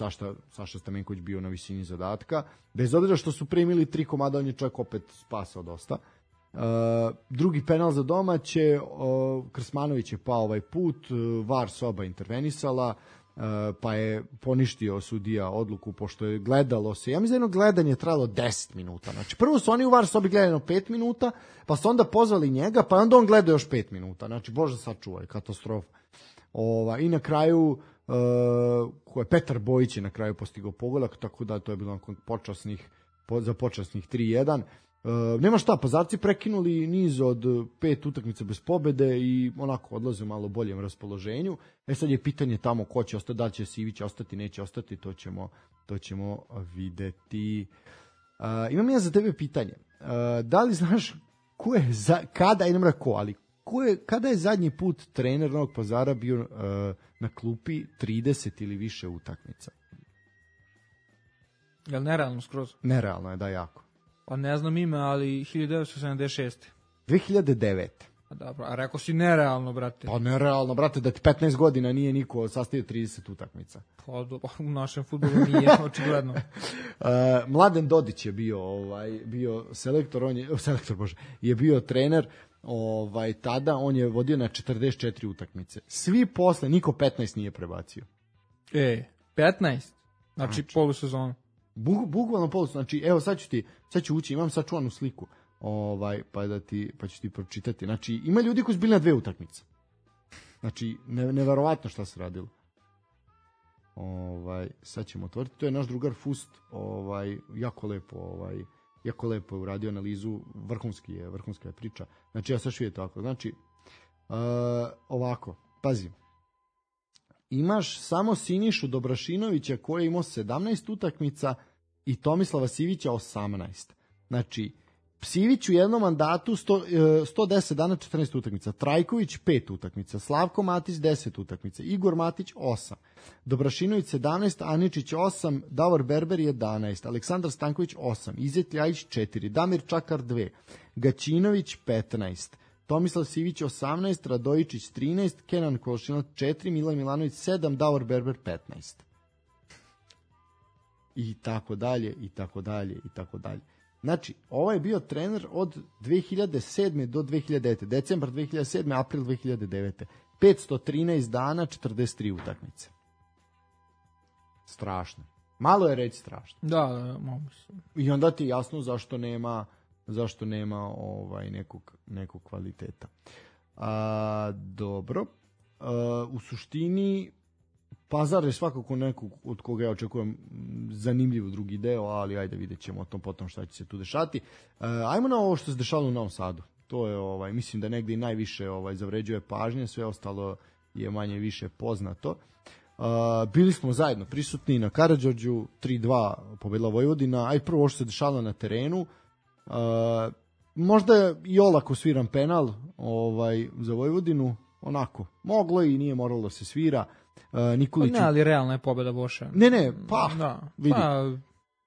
Saša Stamenković bio na visini zadatka, bez obzira što su primili 3 komada, on je čak opet spasao dosta. Drugi penal za domaće, Krsmanović je pao ovaj put, VAR soba intervenisala, pa je poništio sudija odluku, pošto je gledalo se, ja mislim da gledanje je trajalo 10 minuta, znači prvo su oni u VAR sobi gledano 5 minuta, pa su onda pozvali njega, pa onda on gleda još 5 minuta, znači bože sačuvaj, katastrofa. I na kraju Petar Bojić je na kraju postigao pogolak, tako da to je bilo za počasnih 3-1. Nema šta, Pazarci prekinuli niz od 5 utakmica bez pobede i onako odlaze u malo boljem raspoloženju. Sad je pitanje tamo ko će ostati, da li će Sivić ostati, neće ostati, to ćemo videti. Imam ja za tebe pitanje. Da li znaš kada je zadnji put trener Novog Pazara bio na klupi 30 ili više utakmica? Jel nerealno skroz? Nerealno je, da, jako. Pa ne znam ime, ali 1976. 2009. A dobro, a rekao si nerealno, brate. Pa nerealno, brate, da ti 15 godina nije niko sastavio 30 utakmica. Pa u našem fudbalu nije, očigledno. Mladen Dodić je bio selektor, je bio trener tada, on je vodio na 44 utakmice. Svi posle, niko 15 nije prebacio. 15? Znači polusezonu. Bukvalno polusezonu, znači evo sad ću ući, imam sačuvanu sliku. Pa ću ti pročitati. Znači, ima ljudi koji su bili na 2 utakmice. Znači, neverovatno šta se radilo. Sad ćemo otvoriti. To je naš drugar Fust, jako lepo je uradio analizu, vrhunska je priča. Znači, ja sad ću vidjeti ovako. Znači, ovako, pazi. imaš samo Sinišu Dobrašinovića koji je imao 17 utakmica i Tomislava Sivića 18. Znači, Sivić u jednom mandatu 110 dana 14 utakmica, Trajković 5 utakmica, Slavko Matić 10 utakmica, Igor Matić 8, Dobrašinović 17, Aničić 8, Davor Berber 11, Aleksandar Stanković 8, Izet Ljajić 4, Damir Čakar 2, Gaćinović 15, Tomislav Sivić 18, Radojičić 13, Kenan Kolšinac 4, Milan Milanović 7, Davor Berber 15. I tako dalje, i tako dalje, i tako dalje. Znači, ovo je bio trener od 2007. do 2009. Decembar 2007. April 2009. 513 dana, 43 utakmice. Strašno. Malo je reći strašno. Da, mogu se. I onda ti je jasno zašto nema nekog kvaliteta. Dobro. U suštini Pazar je svakako nekog od koga ja očekujem zanimljiv drugi deo, ali ajde vidjet ćemo o tom potom šta će se tu dešati. Ajmo na ovo što se dešalo u Novom Sadu. To je, mislim da negde i najviše zavređuje pažnje, sve ostalo je manje više poznato. Bili smo zajedno prisutni na Karađorđu, 3-2 pobedila Vojvodina, aj prvo što se dešalo na terenu. Možda je i olako sviran penal za Vojvodinu, onako, moglo i nije moralo da se svira. Nikolić... Ne, ali realna je pobeda Voša. Ne, vidi.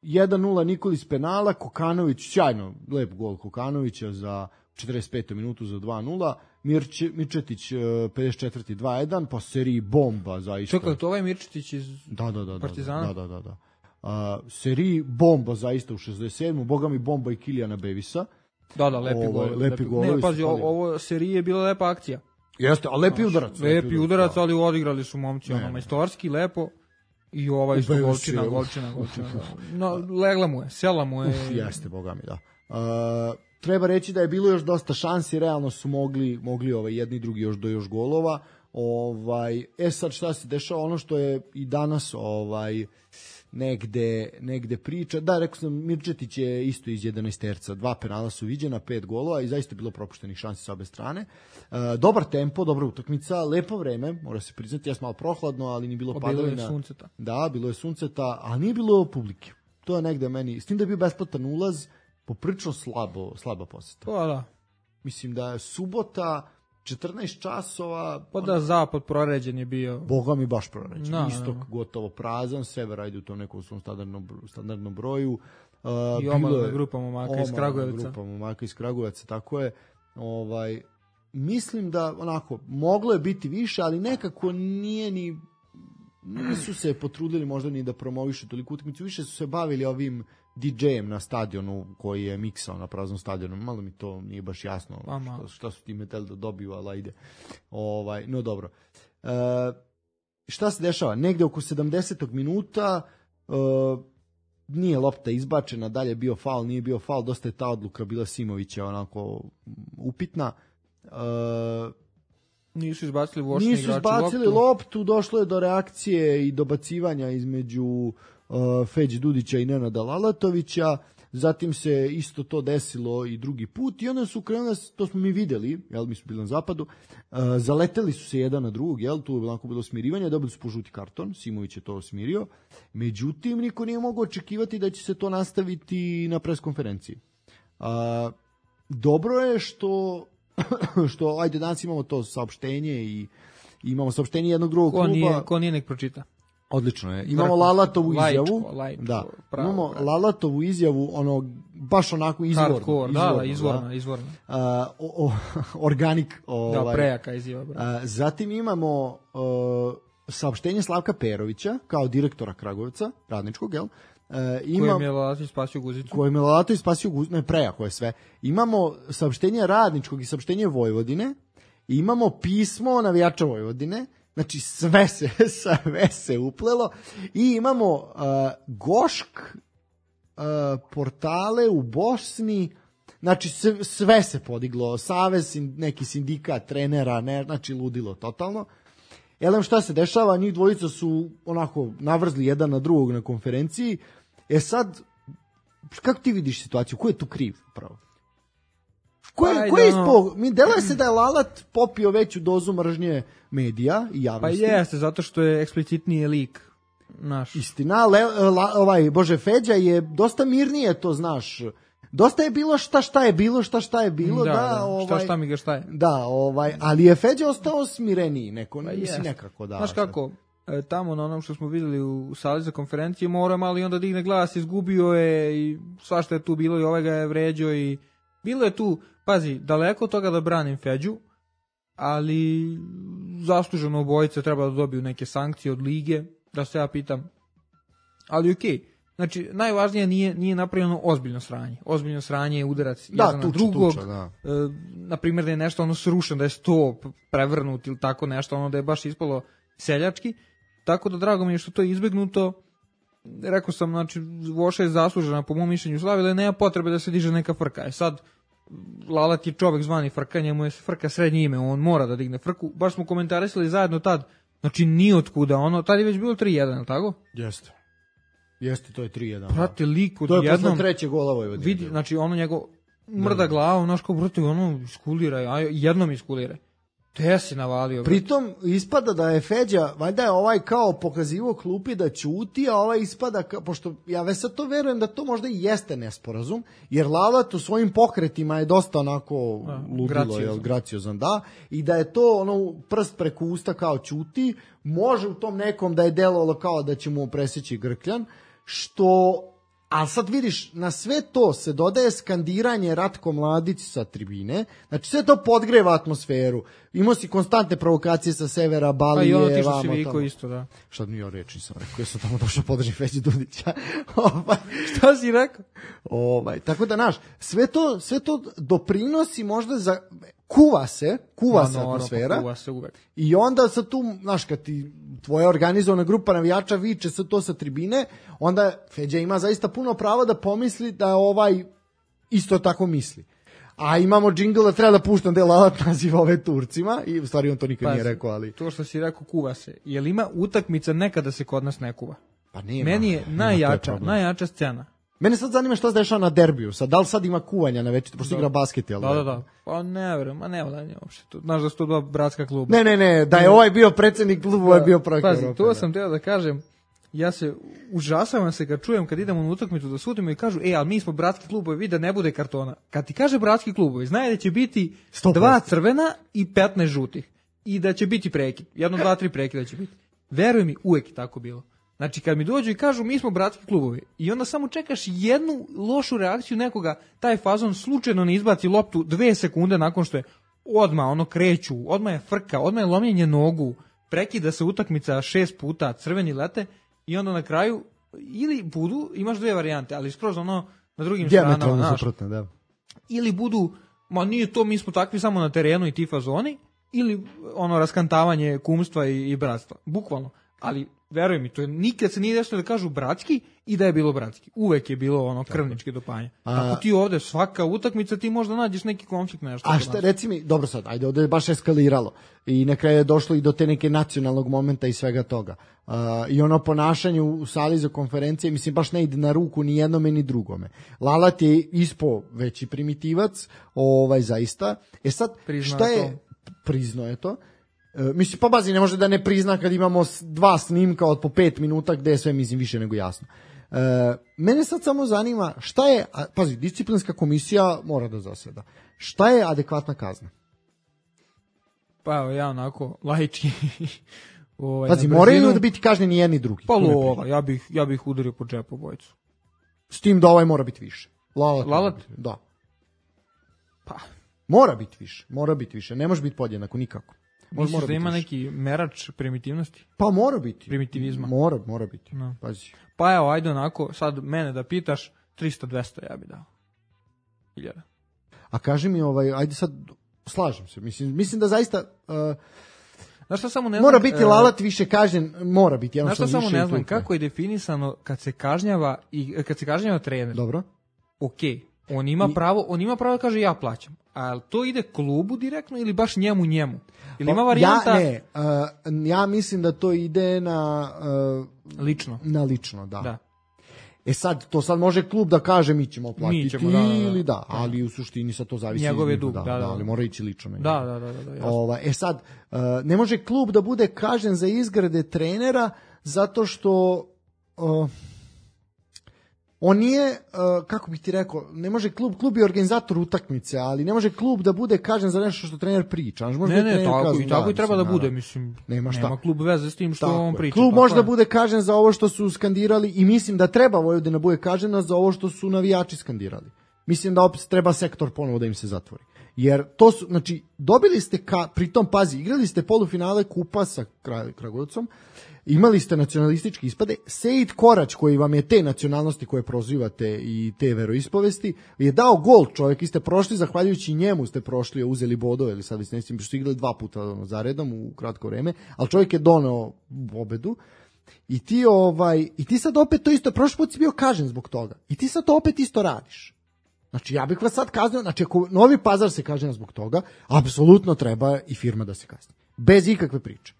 1-0 Nikolić penala, Kokanović, sjajno, lep gol Kokanovića za 45. minutu za 2-0, Mirčetić 54. 2-1, pa seriji bomba zaista. Čekaj, to ovaj Mirčetić iz Partizana? Da. Seriji bomba zaista u 67. Boga mi bomba i Kilijana Bevisa. Da, lepi gol. Ne, pazi, ovo serije je bila lepa akcija. Jeste, a lepi udarac. Lepi udarac, ali odigrali su momci majstorski, lepo. I ovaj što golčina. No, legla mu je, sela mu je. Jeste, boga mi, da. Treba reći da je bilo još dosta šansi, realno su mogli jedni i drugi do još golova. Sad šta se dešava, ono što je i danas negde priča. Da, rekao sam, Mirčetić je isto iz 11-terca. 2 penala su viđena, 5 golova i zaista je bilo propuštenih šansi sa obe strane. Dobar tempo, dobra utakmica, lepo vreme, mora se priznati, jas malo prohladno, ali nije bilo padavina. Bilo je sunceta. Da, bilo je sunceta, ali nije bilo publike. To je negde meni, s tim da je bio besplatan ulaz, poprilično slaba poseta. Pa da. Mislim da je subota, 14 časova... Pa da, zapad proređen je bio. Boga mi baš proređen. Istok gotovo prazan, sever ajde u tom nekom svom standardnom broju. I omalna grupa momaka iz Kragujevca. Grupa momaka iz Kragujevca, tako je. Mislim da, moglo je biti više, ali nekako nisu se potrudili možda ni da promovišu toliko utakmicu, više su se bavili ovim DJ-em na stadionu koji je miksao na praznom stadionu. Malo mi to nije baš jasno šta su ti metali da dobiju, ali ajde. No dobro. Šta se dešava? Negde oko 70. minuta nije lopta izbačena, dalje bio faul, nije bio faul, dosta je ta odluka bila Simovića onako upitna. Nisu izbacili vošni igrači loptu. Nisu izbacili loptu, došlo je do reakcije i dobacivanja između Feđi Dudića i Nenada Lalatovića, zatim se isto to desilo i drugi put i onda su krenuli, to smo mi videli, mi smo bili na zapadu, zaleteli su se jedan na drugog, tu je bilo smirivanje, dobili su po žuti karton, Simović je to smirio, međutim niko nije mogao očekivati da će se to nastaviti na preskonferenciji. Dobro je što ajde danas imamo to saopštenje i imamo saopštenje jednog drugog kluba. Ko nije nek pročita. Odlično je. Imamo Lalatovu izjavu. Imamo Lalatovu izjavu, baš onako izvorna. Organic. Prejaka izjava. Zatim imamo saopštenje Slavka Perovića, kao direktora Kragujevca, radničkog, jel? Kojem je Lalatović spasio Guzicu. Ne, prejako je sve. Imamo saopštenje radničkog i saopštenje Vojvodine. Imamo pismo navijača Vojvodine. Znači sve se uplelo i imamo Gošk portale u Bosni, znači sve se podiglo, savez, neki sindikat, trenera, znači ludilo totalno. Šta se dešava, njih dvojica su onako navrzli jedan na drugog na konferenciji. Sad, kako ti vidiš situaciju, ko je tu kriv pravo? Ko je ispo? Mi deluje se da je Lalat popio veću dozu mržnje medija i javnosti. Pa jeste, zato što je eksplicitniji lik naš. Istina, Feđa je dosta mirnije, to znaš. Dosta je bilo šta je bilo, šta je bilo, šta mi ga šta je. Da, ali je Feđa ostao smireniji, nekako, da. Znaš kako, tamo na onom što smo videli u sali za konferencije, mora malo i onda digne glas, izgubio je i svašta je tu bilo i ovaj ga je vređao i bilo je tu, pazi, daleko od toga da branim Feđu, ali zasluženo obojice treba da dobiju neke sankcije od lige, da se ja pitam, ali okej. Znači, najvažnije nije napravljeno ozbiljno sranje. Ozbiljno sranje je udarac jedan na drugog. Na primjer da je nešto ono srušeno, da je sto prevrnut ili tako nešto, ono da je baš ispalo seljački. Tako da drago mi je što to je izbegnuto. Rekao sam, znači, Voša je zaslužena po mom mišljenju slavila i nema potrebe da se diže neka frka. Sad, Lalat je čovek zvani frka, njemu je frka srednje ime, on mora da digne frku. Baš smo komentarisali zajedno tad, znači ni otkuda, ono, tad je već bilo 3-1, tako? Jeste, to je 3-1. Prate, lik to je posle treće gola Vojvodine. Vidi, znači ono njegov mrda glavom, znaš kao brate, ono iskuliraj, a jednom iskuliraj. Te si navalio. Pritom ispada da je Feđa, valjda je kao pokazivo klupi da ćuti, a ispada, pošto ja već sad to verujem da to možda i jeste nesporazum, jer Lalat u svojim pokretima je dosta onako ludilo, graciozan, da, i da je to ono prst preko usta kao ćuti, može u tom nekom da je delovalo kao da će mu presjeći grkljan, što, ali sad vidiš, na sve to se dodaje skandiranje Ratko Mladić sa tribine, znači sve to podgreva atmosferu, imao si konstantne provokacije sa severa, Balije, pa i ono ti što si viko isto, da. Šta mi ja reći nisam rekao, ja sam tamo došao podrži Feđi Dudića. Šta si rekao? Tako da, znaš, sve to doprinosi možda za... Kuva se atmosfera. Kuva se uvek. I onda sad tu, znaš, kad ti tvoja organizovana grupa navijača viče sad to sa tribine, onda Feđa ima zaista puno prava da pomisli da isto tako misli. A imamo džingl da treba da puštam da je Lalat naziva ove Turcima i u stvari on to nikad nije rekao, ali... To što si rekao kuva se. Jel ima utakmica nekada se kod nas ne kuva? Pa nema. Meni je najjača scena. Mene sad zanima šta se dešava na derbiju. Sad, da li sad ima kuvanja na večer, pošto igra basket, jel? Da. Pa ne verujem, ne vladanje uopšte. Znaš da su to dva bratska kluba. Ne, da je ovaj bio predsjednik kluba, ovaj je bio projekt Europe. Pazi, to sam teo da kažem, ja se užasavam se kad čujem kad idemo na utakmicu da sudimo i kažu, ali mi smo bratski klubovi, vidi da ne bude kartona. Kad ti kaže bratski klubovi, znaje da će biti 2 crvena i 15 žutih. I da će biti prekid. 1, 2, 3 prekida će biti. Veruj mi, uvek je tako bilo. Znači, kad mi dođu i kažu mi smo bratski klubovi i onda samo čekaš jednu lošu reakciju nekoga, taj fazon slučajno ne izbaci loptu 2 sekunde nakon što je odmah kreću, odmah je frka, odmah je lomljenje nogu, prekida se utakmica 6 puta, crveni lete i onda na kraju ili budu, imaš 2 varijante, ali skroz na drugim stranama, da. Ili budu, nije to, mi smo takvi samo na terenu i ti fazoni, ili raskantavanje kumstva i bratstva, bukvalno, ali veruj mi, to je nikad se nije desilo da kažu bratski i da je bilo bratski. Uvek je bilo krvnički dopanje. Ako ti ovde svaka utakmica ti možda nađeš neki konflikt nešto. A šta, reci mi, dobro sad, ajde, ovde je baš eskaliralo i na kraju je došlo i do te neke nacionalnog momenta i svega toga. I ponašanje u sali za konferencije, mislim, baš ne ide na ruku ni jednome ni drugome. Lalat je ispo veći primitivac, zaista. Sad, šta je... Priznao je to. Mislim, pa bazi ne može da ne prizna kad imamo 2 snimka od po 5 minuta gde je sve, mislim, više nego jasno. Mene sad samo zanima šta je, pazi, disciplinska komisija mora da zaseda. Šta je adekvatna kazna? Pa evo, ja onako, laički... Pazi, moraju da biti kažnjeni jedni i drugi. Pa lova, ja bih udario po džepu obojicu. S tim da mora biti više. Lalat? Da. Pa... Mora biti više, ne može biti podjednako nikako. Misliš da ima neki merač primitivnosti? Pa mora biti. Primitivizma? Mora biti, pazi. Pa evo, ajde onako, sad mene da pitaš, 300-200 ja bi dao. 1000. A kaži mi, ajde sad, slažem se, mislim da zaista... Znaš šta samo ne znam... Mora biti Lalat više kažnjen, mora biti. Znaš šta samo ne znam, kako je definisano kad se kažnjava trener? Dobro. Okej. On ima pravo da kaže ja plaćam. A to ide klubu direktno ili baš njemu? Ili ima varijanta... Ja mislim da to ide na... Lično. Na lično, da. sad, to sad može klub da kaže mi ćemo platiti ili da. ali u suštini sad to zavisi njegov je dug, ali mora ići lično. Da. Sad, ne može klub da bude kažnjen za izgrade trenera zato što on nije, kako bih ti rekao, ne može klub je organizator utakmice, ali ne može klub da bude kažnjen za nešto što trener priča. Ne, tako i treba da bude, mislim. Nema klub veze s tim što on priča. Klub može da bude kažnjen za ovo što su skandirali i mislim da treba Vojvodina bude kažnjena za ovo što su navijači skandirali. Mislim da opet treba sektor ponovo da im se zatvori. Jer to su, znači, dobili ste, pritom pazi, igrali ste polufinale kupa sa Kragujevcom, imali ste nacionalistički ispade, Sejid Korać, koji vam je te nacionalnosti koje prozivate i te veroispovesti, je dao gol, čovjek, i ste prošli, zahvaljujući njemu ste prošli, uzeli bodove, ili sad već ne što ste igrali 2 puta za redom u kratko vreme, ali čovjek je doneo pobedu. I ti sad opet to isto, prošli put si bio kažen zbog toga, i ti sad to opet isto radiš. Znači, ja bih vas sad kaznio, znači, ako Novi Pazar se kažnjava zbog toga, apsolutno treba i firma da se kazni. Bez ikakve priče.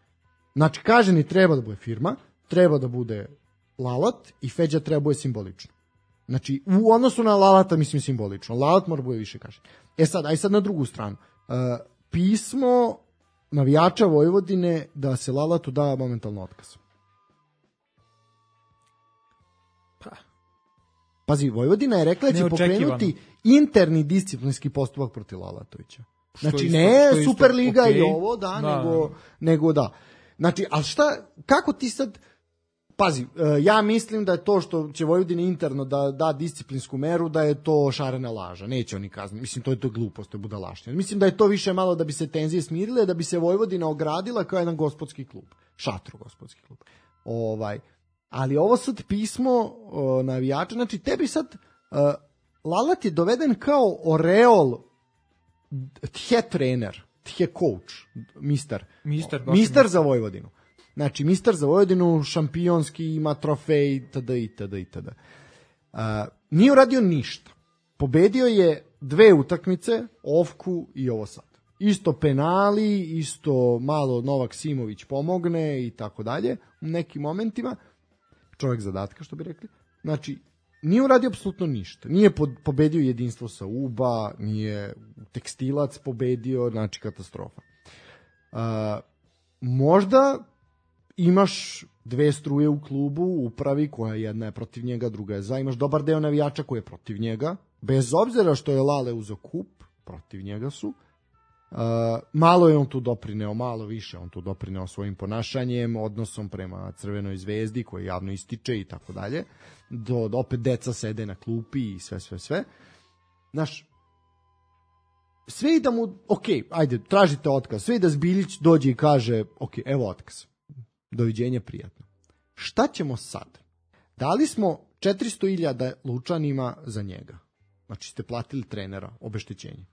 Znači, kažnjeni treba da bude firma, treba da bude Lalat i Feđa treba da bude simbolično. Znači, u odnosu na Lalata, mislim, simbolično. Lalat mora bude više kažnjen. Sad na drugu stranu. Pismo navijača Vojvodine da se Lalatu da momentalno otkaz. Pazi, Vojvodina je rekla da će pokrenuti interni disciplinski postupak protiv Lalatovića. Znači, ne Superliga i ovo, nego da. Znači, ali kako ti sad, pazi, ja mislim da je to što će Vojvodina interno da disciplinsku meru, da je to šarena laža, neće oni kazniti, mislim, to je glupost, to je budalaština. Mislim da je to više malo da bi se tenzije smirile, da bi se Vojvodina ogradila kao jedan gospodski klub, šatro gospodski klub. Ali ovo sad pismo navijača, znači tebi sad Lalat je doveden kao oreol tje trener, tje coach, mister za Vojvodinu. Znači, mister za Vojvodinu, šampionski, ima trofej, itd. Nije uradio ništa. Pobedio je 2 utakmice, Ofku i ovo sad. Isto penali, isto malo Novak Simović pomogne i tako dalje u nekim momentima. Čovjek zadatka, što bi rekli. Znači, nije uradio apsolutno ništa. Nije pobedio jedinstvo sa UBA, nije Tekstilac pobedio, znači katastrofa. Možda imaš 2 struje u klubu, u upravi, koja jedna je protiv njega, druga je za. Imaš dobar deo navijača koji je protiv njega, bez obzira što je Lale uzeo kup, protiv njega su. Malo je on tu doprineo, malo više on tu doprineo svojim ponašanjem, odnosom prema Crvenoj zvezdi koji javno ističe i tako dalje, do opet deca sede na klupi i sve. Znaš, sve i da mu, ajde, tražite otkaz, sve i da Zbiljić dođe i kaže, evo otkaz, doviđenje, prijatno. Šta ćemo sad? Dali smo 400.000 Lučanima za njega, znači ste platili trenera, obeštećenje.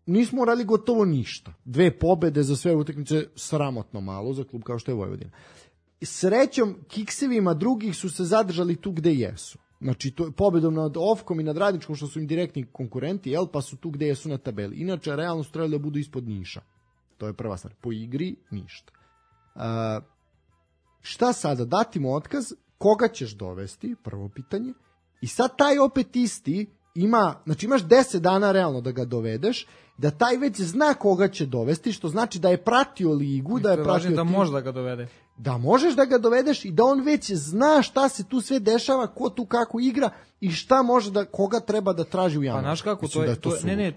Nismo radili gotovo ništa. 2 pobede za sve utakmice, sramotno malo za klub kao što je Vojvodina. Srećom, kiksevima drugih su se zadržali tu gde jesu. Znači, pobedom nad Ofkom i nad Radničkom, što su im direktni konkurenti, pa su tu gde jesu na tabeli. Inače, realno su trebali da budu ispod Niša. To je prva stvar. Po igri, ništa. Šta sada? Dati mu otkaz, koga ćeš dovesti? Prvo pitanje. I sad taj opet isti imaš 10 dana realno da ga dovedeš, da taj već zna koga će dovesti, što znači da je pratio ligu, da je pratio da može da ga dovede. Da možeš da ga dovedeš i da on već zna šta se tu sve dešava, ko tu kako igra i šta može koga treba da traži u januaru. Pa znaš kako,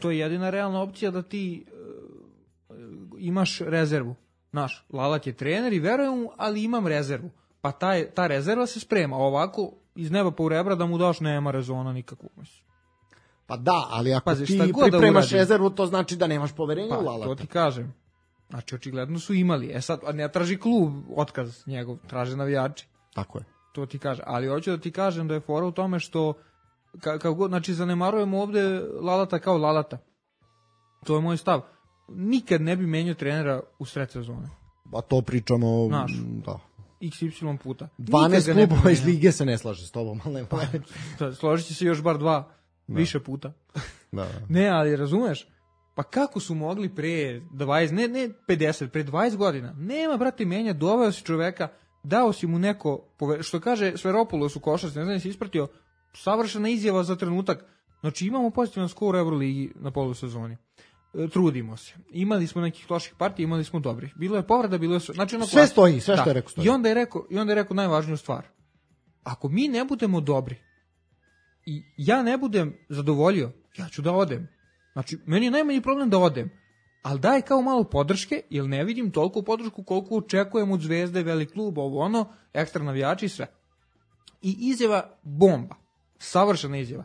to je jedina realna opcija da ti imaš rezervu. Znaš, Lalat je trener i verujem mu, ali imam rezervu. Pa ta rezerva se sprema. Ovako, iz neba po rebra da mu daš, nema rezona nikakvog. Pa da, ali ako ti pripremaš rezervu, to znači da nemaš poverenja u Lalata. To ti kažem. Znači, očigledno su imali. Sad, ne traži klub otkaz njegov, traže navijači. Tako je. To ti kaže. Ali hoću da ti kažem da je fora u tome što, znači, zanemarujemo ovde Lalata kao Lalata. To je moj stav. Nikad ne bi menjao trenera u sred sezone. A to pričamo... Znaš, da. XY puta. 12 klubova iz lige se ne slaže s tobom, ali složit će se još bar 2. Više puta. Da. Ne, ali razumeš? Pa kako su mogli pre 20, ne 50, pre 20 godina? Nema, brate, menja, doveo si čoveka, dao si mu neko, što kaže Sveropoulos u košarci, ne znam da si ispratio, savršena izjava za trenutak. Znači imamo pozitivan skor u Euroligi na polusezoni. Trudimo se. Imali smo nekih loših partija, imali smo dobrih. Bilo je povreda, bilo je znači sve stoji, sve što je rekao stoji. I onda je rekao najvažniju stvar. Ako mi ne budemo dobri i ja ne budem zadovoljio, ja ću da odem. Znači, meni je najmanji problem da odem. Ali daj kao malo podrške, jer ne vidim toliko podršku koliko očekujem od Zvezde, velik klub, ovo ono, ekstra navijači i sve. I izjava bomba. Savršena izjava.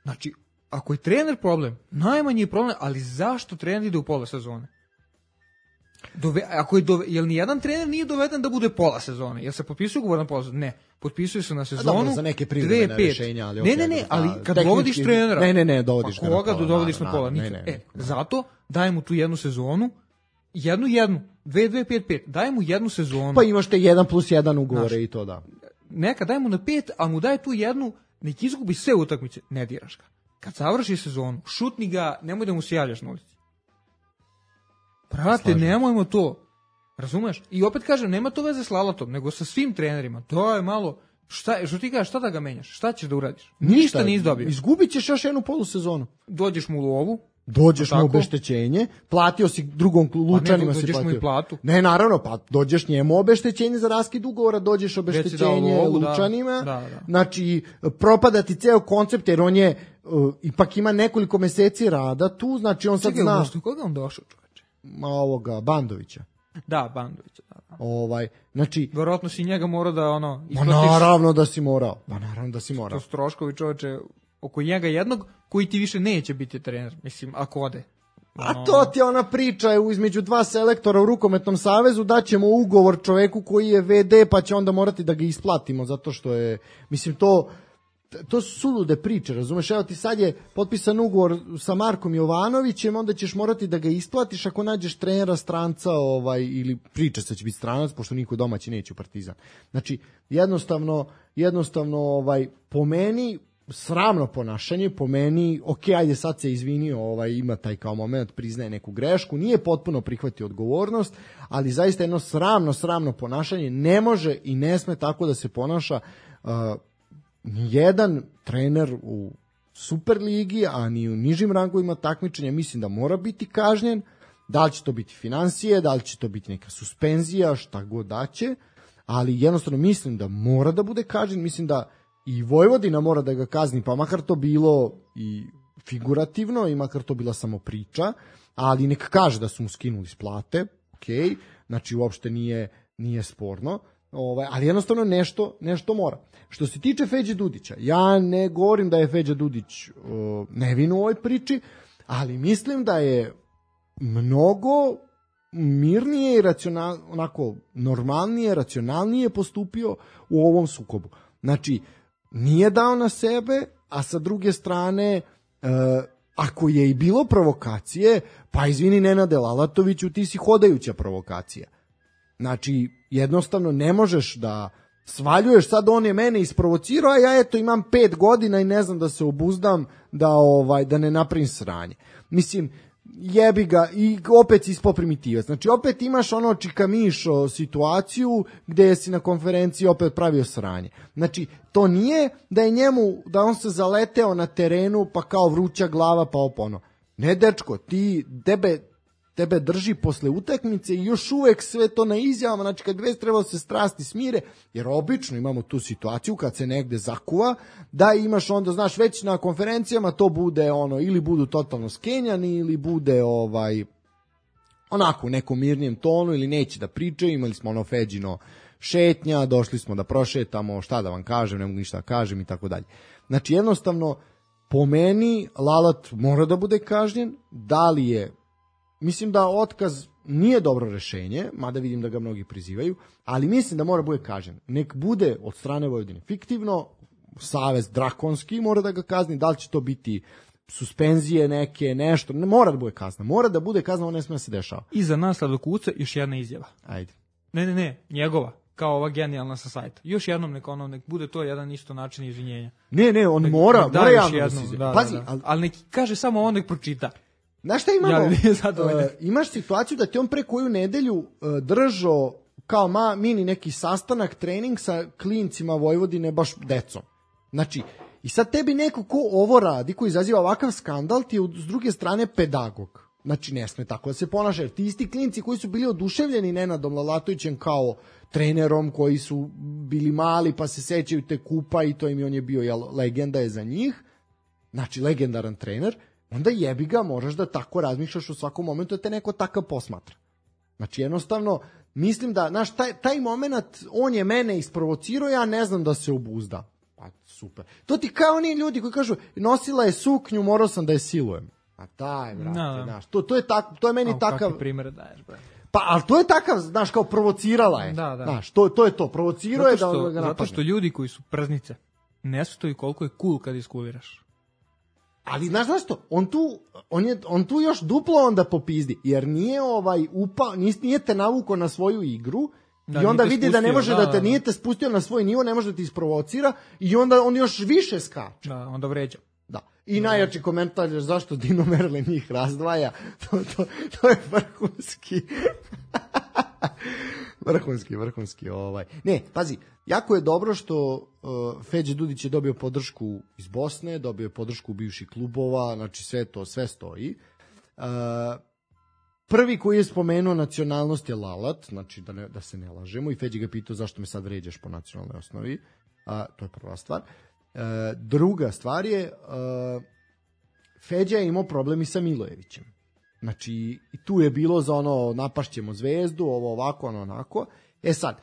Znači, ako je trener problem, najmanji je problem, ali zašto trener ide u pola sezone? Jel nijedan trener nije doveden da bude pola sezone? Jel se potpisuje ugovor na pola sezone? Ne. Potpisuje se na sezonu 2-5. Za neke privremene rešenja, ali ne, ali kad dovodiš trenera, ne, dovodiš pa koga dovodiš na pola? Zato daj mu tu jednu sezonu, jednu, 2-5-5, daj mu jednu sezonu. Pa imaš te 1+1 ugovore i to da. Neka daj mu na 5, a mu daj tu jednu, nek izgubi sve utakmice, ne diraš ga. Kad završi sezonu, šutni ga, nemoj da mu se javljaš na ulici. Brate, nemojmo to. Razumeš? I opet kažem, nema to veze s Lalatom, nego sa svim trenerima. To je malo, što ti kažeš, šta da ga menjaš? Šta ćeš da uradiš? Ništa nisi dobio. Izgubit ćeš još jednu polusezonu. Dođeš mu u lovu. Dođeš mu obeštećenje, platio si drugom Lučanima, pa dođeš mu i platu. Ne, naravno, pa dođeš njemu obeštećenje za raskid ugovora, dođeš obeštećenje Lučanima. Da. Znači, propada ti ceo koncept, jer on je, ipak ima nekoliko meseci rada tu, znači on sad zna. Koga on došao, čoveče? Bandovića. Da, Bandovića, da. Znači... Verovatno si njega morao da, isplatiš... Naravno da si morao. To su troškovi, čoveče, oko njega jednog koji ti više neće biti trener, mislim, ako ode. A to ti je ona priča između dva selektora u Rukometnom savezu, daćemo ugovor čoveku koji je VD, pa će onda morati da ga isplatimo, zato što je, mislim, to su sulude priče, razumeš? Evo ti sad je potpisan ugovor sa Markom Jovanovićem, onda ćeš morati da ga isplatiš ako nađeš trenera stranca, ili priča se će biti stranac, pošto niko domaći neće u Partizan. Znači, jednostavno po meni sramno ponašanje, po meni, ajde sad se izvinio, ima taj kao moment, priznaje neku grešku, nije potpuno prihvatio odgovornost, ali zaista jedno sramno ponašanje, ne može i ne sme tako da se ponaša nijedan trener u Superligi, a ni u nižim rangovima takmičenja. Mislim da mora biti kažnjen, da li će to biti financije, da li će to biti neka suspenzija, šta god da će, ali jednostavno mislim da mora da bude kažnjen, mislim da i Vojvodina mora da ga kazni, pa makar to bilo i figurativno i makar to bila samo priča, ali neka kaže da su mu skinuli s plate, znači uopšte nije sporno, ali jednostavno nešto mora. Što se tiče Feđe Dudića, ja ne govorim da je Feđa Dudić nevin u ovoj priči, ali mislim da je mnogo mirnije i onako normalnije, racionalnije postupio u ovom sukobu. Znači, nije dao na sebe, a sa druge strane, ako je i bilo provokacije, pa izvini Nenade Lalatoviću, ti si hodajuća provokacija. Znači, jednostavno ne možeš da svaljuješ, sad on je mene isprovocirao, a ja imam 5 godina i ne znam da se obuzdam da ne napravim sranje. Mislim, jebi ga i opet si ispao primitivac. Znači opet imaš ono čikamišo situaciju gde si na konferenciji opet pravio sranje. Znači to nije da on se zaleteo na terenu pa kao vruća glava pa opono. Ne dečko, tebe drži posle utakmice i još uvek sve to na izjavama, znači kad već treba se strasti smire, jer obično imamo tu situaciju kad se negde zakuva, da imaš onda, znaš, već na konferencijama to bude ili budu totalno skenjani ili bude onako u nekom mirnijem tonu ili neće da pričaju, imali smo Feđino šetnja, došli smo da prošetamo, šta da vam kažem, ne mogu ništa da kažem i tako dalje. Znači jednostavno, po meni Lalat mora da bude kažnjen, da li je, mislim da otkaz nije dobro rešenje, mada vidim da ga mnogi prizivaju, ali mislim da mora bude kažnjen. Nek bude od strane Vojvodine fiktivno, savez drakonski mora da ga kazni, da li će to biti suspenzije neke, nešto, ne mora da bude kazna. Mora da bude kazna, ono ne sme da se dešava. I za nas Sladokuca još jedna izjava. Ajde. Ne, njegova, kao ova genijalna sa sajta. Još jednom nek bude to jedan isto način izvinjenja. Ne, on mora javno da se izvinja. Pazi, ali nek kaže samo on nek pročita. Znaš šta imamo? Imaš situaciju da ti on pre koju nedelju držao kao mini neki sastanak, trening sa klincima Vojvodine, baš decom. Znači, i sad tebi neko ko ovo radi, ko izaziva ovakav skandal, ti je s druge strane pedagog. Znači, ne sme tako da se ponaša, jer ti isti klinci koji su bili oduševljeni Nenadom Lalatovićem kao trenerom, koji su bili mali pa se sećaju te kupa i to on je bio, legenda je za njih, znači legendaran trener, onda jebi ga, moraš da tako razmišljaš u svakom momentu da te neko takav posmatra. Znači, jednostavno, mislim da, znaš, taj moment, on je mene isprovocirao, ja ne znam da se obuzda. Pa, super. To ti kao oni ljudi koji kažu, nosila je suknju, morao sam da je silujem. A daj, brate, znaš, to je meni takav... Kakvi primere daješ, brate? Pa, ali to je takav, znaš, kao provocirala je. Da. Znaš, to je to, provocirao je da ga napadne. Zato što ljudi koji su prznice, ne stoji koliko je cool kad iskuliraš. Ali, znaš što, on tu još duplo onda popizdi, jer nije nije te navukao na svoju igru, i onda vidi da ne može da te nije te spustio na svoj nivo, ne može da ti isprovocira, i onda on još više skače. Da, onda vređa. Da. I najjači komentar je zašto Dino Merle njih razdvaja. To je vrhunski. vrhunski. Ne, pazi, jako je dobro što Feđe Dudić je dobio podršku iz Bosne, dobio je podršku bivših klubova, znači sve stoji. Prvi koji je spomenuo nacionalnost je Lalat, znači da se ne lažemo, i Feđe ga pitao zašto me sad vređaš po nacionalnoj osnovi. To je prva stvar. Druga stvar je, Feđa je imao problem i sa Milojevićem. Znači, i tu je bilo za napašćemo Zvezdu, ovo ovako, ono onako. Sad,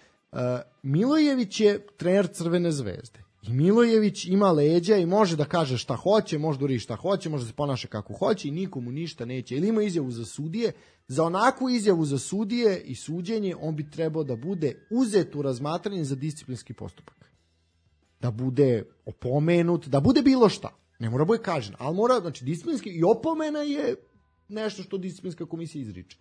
Milojević je trener Crvene Zvezde. I Milojević ima leđa i može da kaže šta hoće, može da uri šta hoće, može da se ponaša kako hoće i nikomu ništa neće. Ili ima izjavu za sudije. Za onakvu izjavu za sudije i suđenje on bi trebao da bude uzet u razmatranje za disciplinski postupak. Da bude opomenut, da bude bilo šta. Ne mora bude kažen, ali mora, znači disciplinski i opomena je nešto što disciplinska komisija izriče.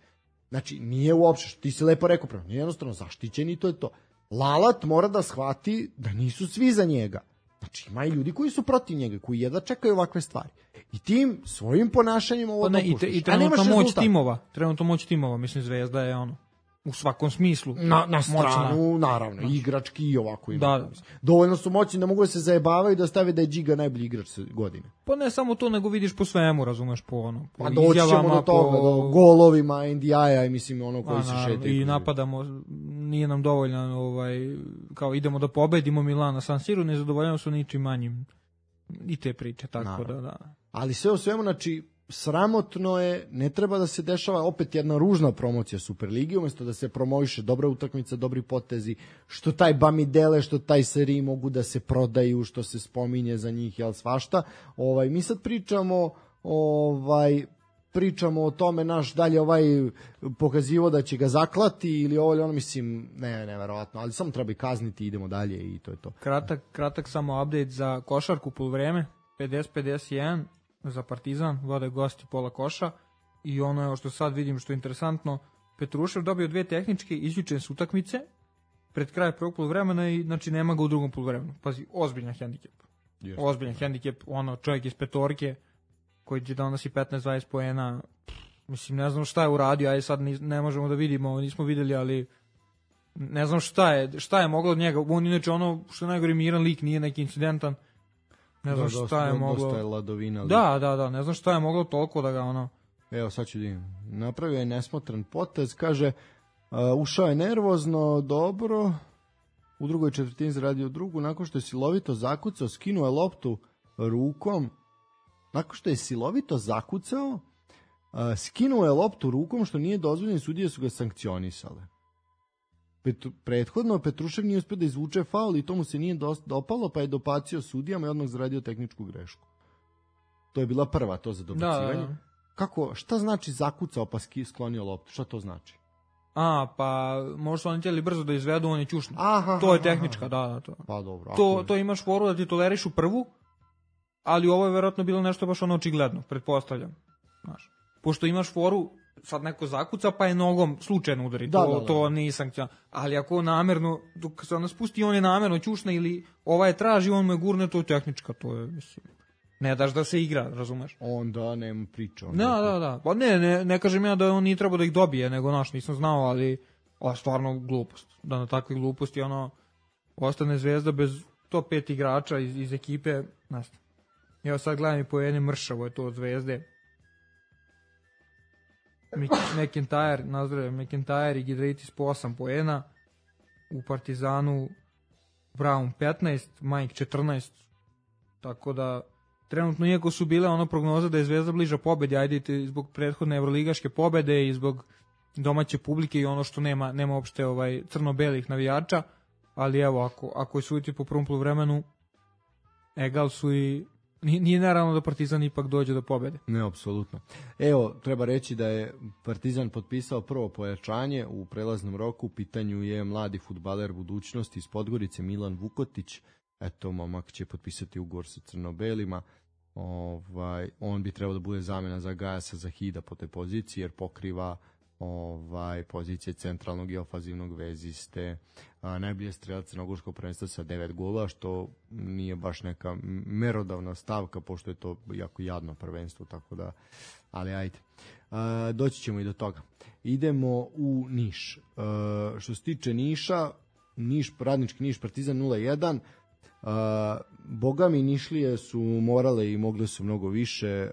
Znači, nije uopšte, što ti si lepo rekao, nije jednostavno zaštićeni, to je to. Lalat mora da shvati da nisu svi za njega. Znači, ima i ljudi koji su protiv njega, koji jedva čekaju ovakve stvari. I tim svojim ponašanjem ovo dopuštaš. I trenutno moć timova, mislim, Zvezda je u svakom smislu. Na stranu, naravno, igrački i ovako. Dovoljno su moćni da mogu da se zajebavaju da stave da je Džiga najbolji igrač godine. Pa ne samo to, nego vidiš po svemu, razumeš, po pa doći ćemo do toga, do golovima, NDI-a i mislim koji se šetaju. I napadamo, nije nam dovoljno, kao idemo da pobedimo Milana San Siru, ne zadovoljamo su ničim manjim. I te priče, tako da. Ali sve u svemu, znači, sramotno je, ne treba da se dešava opet jedna ružna promocija Superligi, umjesto da se promoviše dobra utakmica, dobri potezi, što taj Bamidele, što taj Seri mogu da se prodaju, što se spominje za njih, jel svašta. Mi sad pričamo o tome, naš dalje pokazivo da će ga zaklati ili ovo ili ono, mislim, neverovatno, ali samo treba i kazniti, idemo dalje i to je to. Kratak samo update za košarku poluvreme, 50-51 za Partizan, vode gosti pola koša i ono je što sad vidim što je interesantno, Petrušev dobio 2 tehničke izjučene s utakmice pred kraj prvog poluvremena i znači nema ga u drugom poluvremenu. Pazi, ozbiljan hendikep. Ozbiljan hendikep, čovjek iz petorke koji će donosi 15-20 poena, mislim, ne znam šta je uradio, ajde sad ne možemo da vidimo, nismo videli, ali ne znam šta je moglo od njega, on inače što je najgore miran lik, nije neki incidentan. Ne znam šta je moglo. Dosta je ladovina. Da, ne znam šta je moglo toliko da ga Evo, sad ću napravio je nesmotran potez, kaže, ušao je nervozno, dobro, u drugoj četvrtini zaradio drugu, nakon što je silovito zakucao, skinuo je loptu rukom, skinuo je loptu rukom, što nije dozvoljeno, sudije su ga sankcionisale. Prethodno Petrušev nije uspio da izvuče faul i to mu se nije dopalo, pa je dopacio sudijama i odmah zaradio tehničku grešku. To je bila prva to za dobacivanje. Da. Kako, šta znači zakucao pa sklonio loptu? Šta to znači? Pa možda su oni htjeli brzo da izvedu, on je ćušno. To je tehnička, da. To. Pa dobro. To imaš foru da ti tolerišu prvu, ali ovo je verovatno bilo nešto baš očigledno, pretpostavljam. Znaš, pošto imaš foru, sad neko zakuca pa je nogom slučajno udari, to nije sankcija. Ali ako namerno, dok se ona spusti, on je namerno ćušna ili je traži, on me gurne, to je tehnička, to je, mislim, ne daš da se igra, razumeš? Onda nema priča. Da. Pa ne kažem ja da on nije trebao da ih dobije, nego nisam znao, ali A stvarno glupost. Da na takve gluposti ostane Zvezda bez top 5 igrača iz ekipe. Evo sad gledam i poene, mršavo je to od Zvezde. McIntyre i Giedraitis po 8 poena. U Partizanu Brown 15, Mike 14. Tako da trenutno, iako su bile prognoza da je Zvezda bliža pobedi, ajde zbog prethodne evroligaške pobede i zbog domaće publike i ono što nema uopšte crno-belih navijača, ali evo, ako je suditi po prvom poluvremenu, egal su i nije naravno da Partizan ipak dođe do pobede. Ne, apsolutno. Evo, treba reći da je Partizan potpisao prvo pojačanje u prelaznom roku. U pitanju je mladi fudbaler budućnosti iz Podgorice, Milan Vukotić. Eto, momak će potpisati ugovor sa crno-belima. On bi trebao da bude zamena za Gajasa Zahida po toj poziciji, jer pokriva pozicije centralnog i ofazivnog veziste, najbolje strelac crnogorskog prvenstva sa 9 gola, što nije baš neka merodavna stavka, pošto je to jako jadno prvenstvo, tako da, ali ajde. Doći ćemo i do toga. Idemo u Niš. Što se tiče Niša, Radnički Niš, Partizan 0-1, boga mi Nišlije su morale i mogle su mnogo više,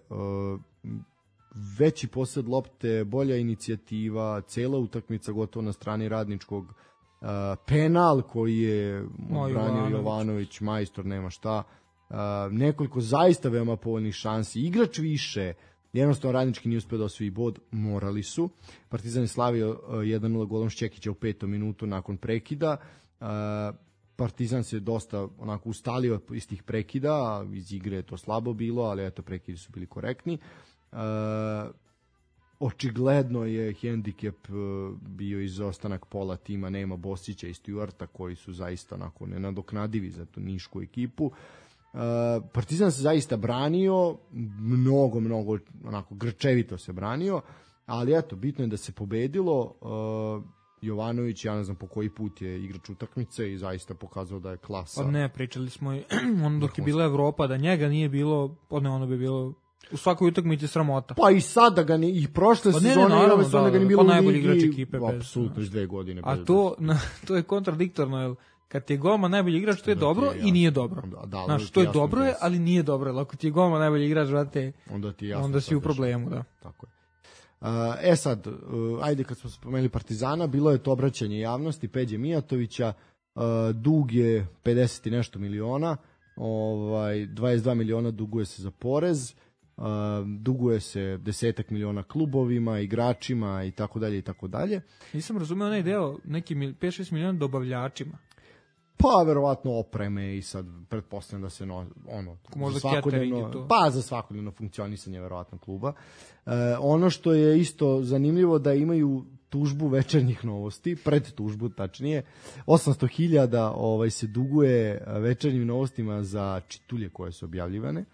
veći posed lopte, bolja inicijativa, cela utakmica gotovo na strani Radničkog, penal koji je odbranio Jovanović, majstor, nema šta, nekoliko zaista veoma povoljnih šansi, igrač više, jednostavno Radnički nije uspio da osvoji bod, morali su. Partizan je slavio 1-0 golom Šćekića u 5. minutu nakon prekida. Partizan se dosta onako ustalio iz tih prekida, iz igre je to slabo bilo, ali eto, prekidi su bili korektni. Očigledno je hendikep bio izostanak pola tima, nema Bosića i Stuarta koji su zaista onako nenadoknadivi za tu nišku ekipu. Partizan se zaista branio, mnogo onako grčevito se branio, ali eto, bitno je da se pobedilo. Jovanović, ja ne znam po koji put je igrač utakmice i zaista pokazao da je klasa. Ne, pričali smo i dok je bila Evropa, da njega nije bilo, ono bi bilo u svakoj utakmici sramota. Pa i sad da ga i prošle sezone i ove sezone ga nije bilo u ligi. Najbolji igrač ekipe. Apsolutno, iz 2 godine. A to je kontradiktorno, jer kad ti je golman najbolji igrač, to je dobro i nije dobro. Znaš, to je dobro, ali nije dobro. Ako ti je golman najbolji igrač, onda si u problemu. Da. Tako je. Sad, ajde kad smo spomenuli Partizana, bilo je to obraćanje javnosti Peđe Mijatovića, dug je 50 i nešto miliona, 22 miliona duguje se za porez, duguje se 10 miliona klubovima, igračima i tako dalje i tako dalje. Nisam razumeo onaj deo, neki 5-6 miliona dobavljačima. Pa verovatno opreme i sad pretpostavljam da se za svakodnevno funkcionisanje verovatno kluba. Ono što je isto zanimljivo da imaju tužbu Večernjih novosti, pred tužbu tačnije, 800.000 se duguje Večernjim novostima za čitulje koje su objavljivane.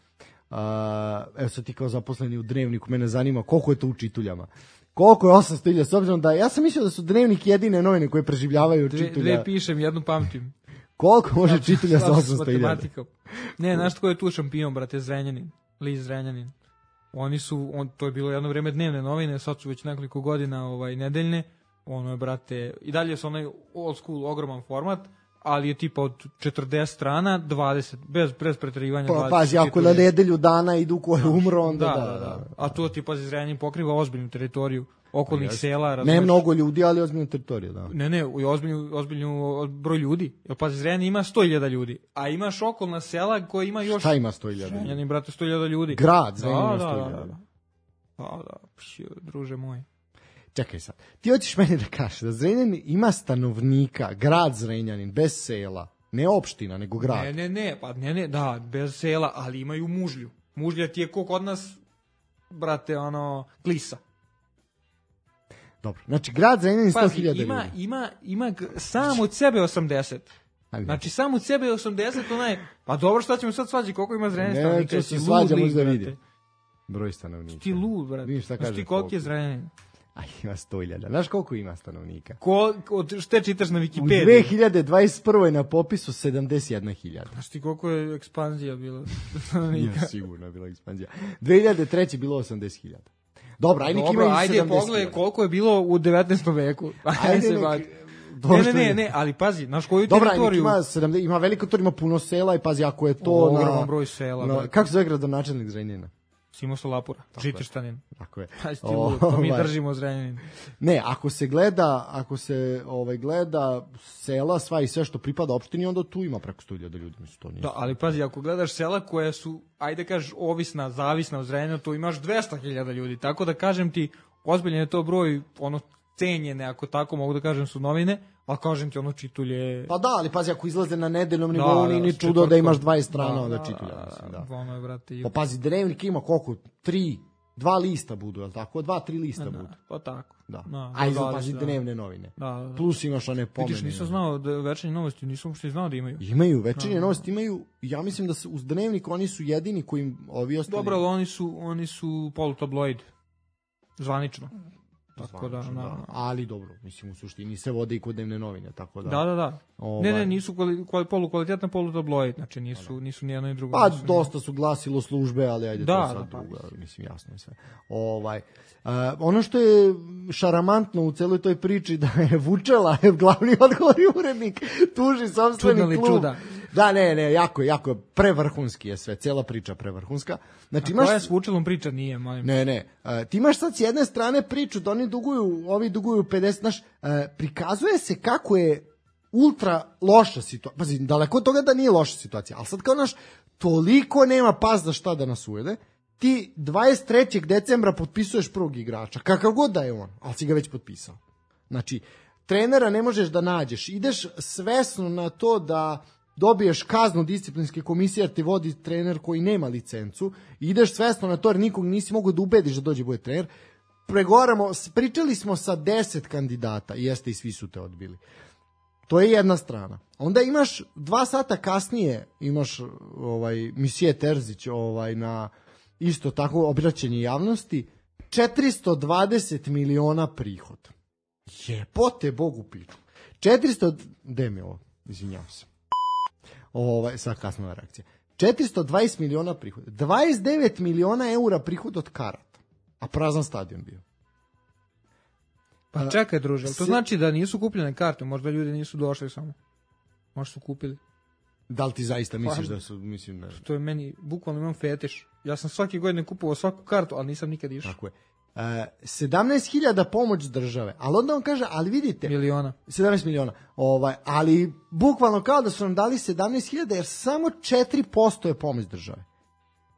Evo sad ti kao zaposleni u Dnevniku, mene zanima koliko je to u čituljama. Koliko je 800.000, s obzirom da ja sam mislio da su Dnevnik jedine novine koje preživljavaju čitulja. Dve pišem, jednu pamtim. Koliko može čitulja sa 800.000? Ne, znaš tko je tu šampion, brate, Zrenjanin, Liz Zrenjanin. To je bilo jedno vreme dnevne novine, sad su već nekoliko godina nedeljne. Ono je, brate, i dalje su onaj old school, ogroman format, ali je tipa od 40 strana, 20, bez preterivanja. Pa, pazi, ako na nedelju dana idu ko je umro, onda da. A to ti, pazi, Zrenjanin pokriva ozbiljnu teritoriju okolnih sela. Ne mnogo ljudi, ali ozbiljnu teritoriju, da. Ne, ozbiljnu broj ljudi. Jer, pazi, Zrenjanin ima 100.000 ljudi, a imaš okolna sela koja ima još... Šta ima 100.000? Zrenjanin, brate, 100.000 ljudi. Grad Zrenjanin ima 100.000. Da, druže moj. Čekaj sad, ti hoćeš meni da kažeš da Zrenjanin ima stanovnika, grad Zrenjanin, bez sela, ne opština, nego grad. Ne, da, bez sela, ali imaju mužlju. Mužlja ti je ko kod nas, brate, Klisa. Dobro, znači grad Zrenjanin 100.000 ljudi. Ima sam od sebe 80. Znači sam od sebe 80, pa dobro, šta ćemo sad svađi, koliko ima Zrenjanin stanovnika? Ne, to se svađamo da vidi. Broj stanovnika. Ti lud, brate. Znaš ti koliko je Zrenjanin? Ima 100.000. Znaš koliko ima stanovnika? Šta čitaš na Wikipediji? U 2021. na popisu 71.000. Znaš ti koliko je ekspanzija bila stanovnika? Nije sigurno bila ekspanzija. 2003. bilo 80.000. Dobro, ajde Dobro, ima ajde pogledaj koliko je bilo u 19. veku. Ne, ali pazi, znaš koju teritoriju... Dobro, ima veliko teritoriju, ima puno sela i pazi, ako je to ogroman broj sela. Kako se zove gradonačelnik Zrenjanina? Simo Solapura, Žiterštanin. Tako je. To mi držimo Zrenjanin. Ne, ako se gleda sela, sva i sve što pripada opštini, onda tu ima preko 100.000 ljudi. Da, ali pazi, ako gledaš sela koja su, ajde kažeš, ovisna, zavisna od Zrenjanina, tu imaš 200.000 ljudi. Tako da kažem ti, ozbiljen je to broj, cenjene, ako tako mogu da kažem, su novine, ali kažem ti čitulje... Pa da, ali pazi, ako izlaze na nedeljnom nivou, nije ni čudo da imaš 20 strana onda čitulja. Ono je, brate... Pa pazi, dnevnik ima koliko? 2 lista budu, je li tako? 2-3 lista budu. Pa tako. A pazi dnevne novine. Plus imaš one pomene. Vidiš, nisam znao da večernje novosti, nisam uopšte znao da imaju. Imaju, večernje novosti imaju, ja mislim da uz dnevnik oni su jedini koji ovi ostali... Dobro, ali oni su polutabloid. Zvanično. Tako da. Ali dobro, mislim u suštini se vode i kod dnevne novine, tako da. Da. Ne, nisu polukvalitetna polutabloid, znači nisu ni jedno ni drugo. Pa dosta su glasilo službe, ali ajde to sad drugo, mislim jasno je sve. Ono što je šaramantno u celoj toj priči da je Vučela, glavni odgovorni urednik, tuži sopstveni klub. Čuda. Da, ne, jako je prevrhunski je sve, cela priča prevrhunska. Znači, a koja s Vučelom priča nije, molim? Ne, ti imaš sad s jedne strane priču da ovi duguju 50, znaš, prikazuje se kako je ultra loša situacija, pazi, daleko od toga da nije loša situacija, ali sad kao naš, toliko nema pas za šta da nas ujede, ti 23. decembra potpisuješ prvog igrača, kakav god da je on, ali si ga već potpisao. Znači, trenera ne možeš da nađeš, ideš svesno na to da dobiješ kaznu disciplinske komisije jer ti vodi trener koji nema licencu, ideš svesno na to jer nikog nisi mogao da ubediš da dođe bude trener, pričali smo sa 10 kandidata, jeste i svi su te odbili. To je jedna strana. Onda imaš 2 sata kasnije, imaš Misije Terzić na isto tako obraćanje javnosti, 420 miliona prihod. Jebote Bogu piču. 400, gde mi ovo, izvinjavam se. Sad kasnova reakcija. 420 miliona prihoda. 29 miliona eura prihod od karata. A prazan stadion bio. Pa čekaj, druže, to znači da nisu kupljene karte, možda ljudi nisu došli samo. Možda su kupili. Da li ti zaista misliš da su, mislim da... To je meni, bukvalno imam fetiš. Ja sam svake godine kupovao svaku kartu, ali nisam nikad išao. Tako je. 17.000 pomoć države, ali onda on kaže, ali vidite... 17 miliona. Ali bukvalno kao da su nam dali 17.000, jer samo 4% je pomoć države.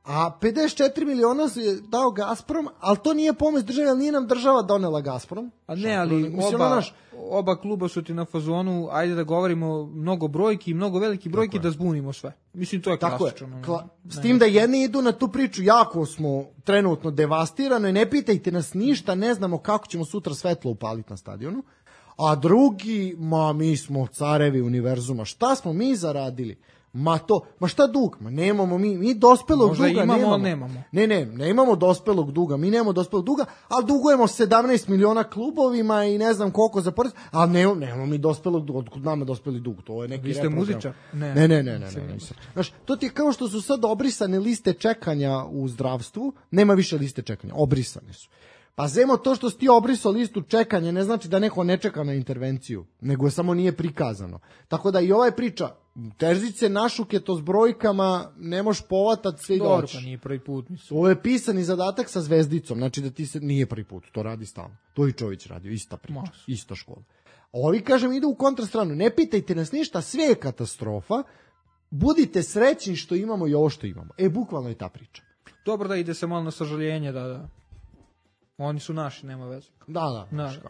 A 54 miliona je dao Gazprom, ali to nije pomoć države, ali nije nam država donela Gazprom. A ne, ali oba kluba su ti na fazonu, ajde da govorimo mnogo brojki, mnogo veliki brojki da zbunimo sve. Mislim, to je klasično. S tim da jedni idu na tu priču, jako smo trenutno devastirano i ne pitajte nas ništa, ne znamo kako ćemo sutra svetlo upaliti na stadionu. A drugi, mi smo carevi univerzuma, šta smo mi zaradili? Ma šta dug? Ma nemamo mi dospelog možda duga nemamo. Ne imamo dospelog duga, mi nemamo dospelog duga, ali dugujemo 17 miliona klubovima i ne znam koliko za porez, ali nemamo mi dospelog duga, otkud nama dospeli dug, to je neki reprogram. Vi ste muzičar? Ne. Znaš, to ti je kao što su sad obrisane liste čekanja u zdravstvu, nema više liste čekanja, obrisane su. Pa zemo to što si ti obrisao listu čekanja ne znači da neko ne čeka na intervenciju, nego samo nije prikazano. Tako da i ova priča, Terzić se našuke to s brojkama, ne možeš povatati sve i doći. Dobro, pa nije prvi put. Mislim. Ovo je pisani zadatak sa zvezdicom, znači da ti se nije prvi put, to radi stalno. To i Čović radio, ista priča, ista škola. Ovi, kažem, idu u kontrastranu, ne pitajte nas ništa, sve je katastrofa, budite srećni što imamo i ovo što imamo. Bukvalno je ta priča. Dobro da ide se malo na sažaljenje, da. Oni su naši, nema veze. Da.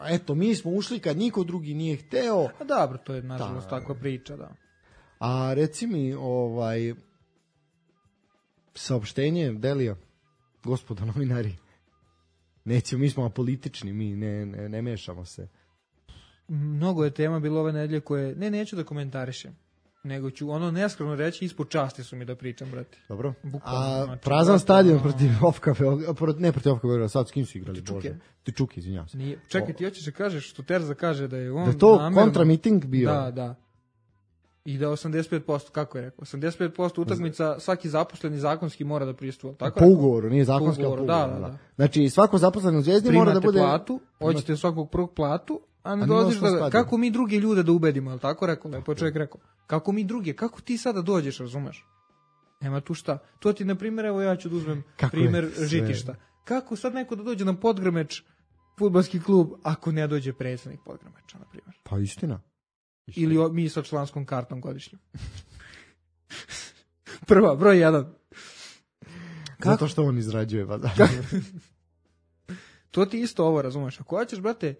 Eto, mi smo ušli kad niko drugi nije hteo. A dobro, to je nažalost takva priča, da. A reci mi, saopštenje Delija, gospodo novinari, nećemo, mi smo apolitični, mi ne mešamo se. Mnogo je tema bilo ove nedelje koje, neću da komentarišem, nego ću neskromno reći, ispod časti su mi da pričam, brate. Dobro. Prazan stadion protiv Ofka Beograda, ne protiv Ofka Beograda, sad s kim su igrali? Tičuke, izvinjavam se. Čekaj, ti hoćeš da kažeš što Terza kaže da je on... Da je to kontramiting bio? Da. I da 85%, kako je rekao, 85% utakmica svaki zaposleni zakonski mora da prisustvuje. Tako po ugovoru, nije zakonski, po ugovoru. Da. Znači, svako zaposleni u Zvezdi mora da bude... platu, hoćete svakog prvog platu, a ne dolaziš da... Kako mi druge ljude da ubedimo, je li tako rekao? Lepo je čovjek rekao. Kako mi druge, kako ti sada dođeš, razumeš? Nema tu šta. To ti, na primjer, evo ja ću da uzmem primjer Žitišta. Kako sad neko da dođe na Podgrmeč, fudbalski klub, ako ne dođe predsjednik Podgrmeča, na primjer? Pa istina. Ili mi sa članskom kartom godišnjom. Prva, broj 1. Zato što on izrađuje, pa da. To ti isto ovo, razumeš. Ako hoćeš, brate,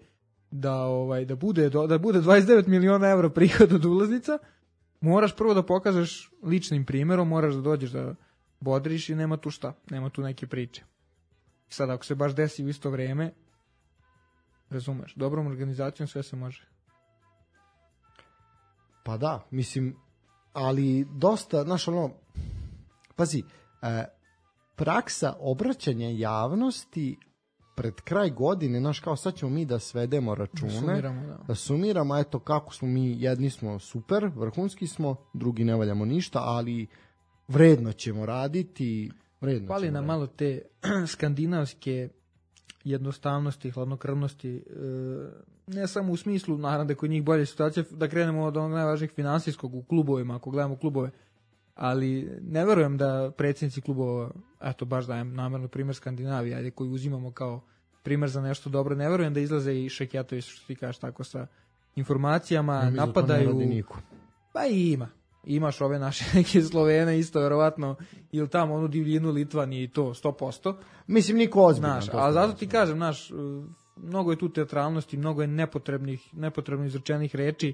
da bude 29 miliona evra prihod od ulaznica, moraš prvo da pokažeš ličnim primjerom, moraš da dođeš da bodriš i nema tu šta, nema tu neke priče. Sad, ako se baš desi u isto vrijeme, razumeš, dobrom organizacijom sve se može. Pa da, mislim, ali dosta, znaš, ono, pazi, praksa obraćanja javnosti pred kraj godine, znaš, kao sad ćemo mi da svedemo račune, da sumiramo, eto kako smo mi, jedni smo super, vrhunski smo, drugi ne valjamo ništa, ali vredno ćemo raditi, Pali nam malo te skandinavske jednostavnosti, hladnokrvnosti, ne samo u smislu, naravno da je kod njih bolje situacija, da krenemo od onog najvažnijeg finansijskog u klubovima, ako gledamo klubove, ali ne verujem da predsjednici klubova, eto baš dajem namjerno primjer Skandinavije, ajde, koji uzimamo kao primjer za nešto dobro, ne verujem da izlaze i Šekjatović, što ti kažeš tako, sa informacijama, napadaju. Pa i imaš ove naše neke Slovene isto verovatno, ili tamo onu divljinu Litvanije i to 100%. Mislim, niko ozbiljan. Ali zato ti kažem, mnogo je tu teatralnosti, mnogo je nepotrebno izrečenih reči,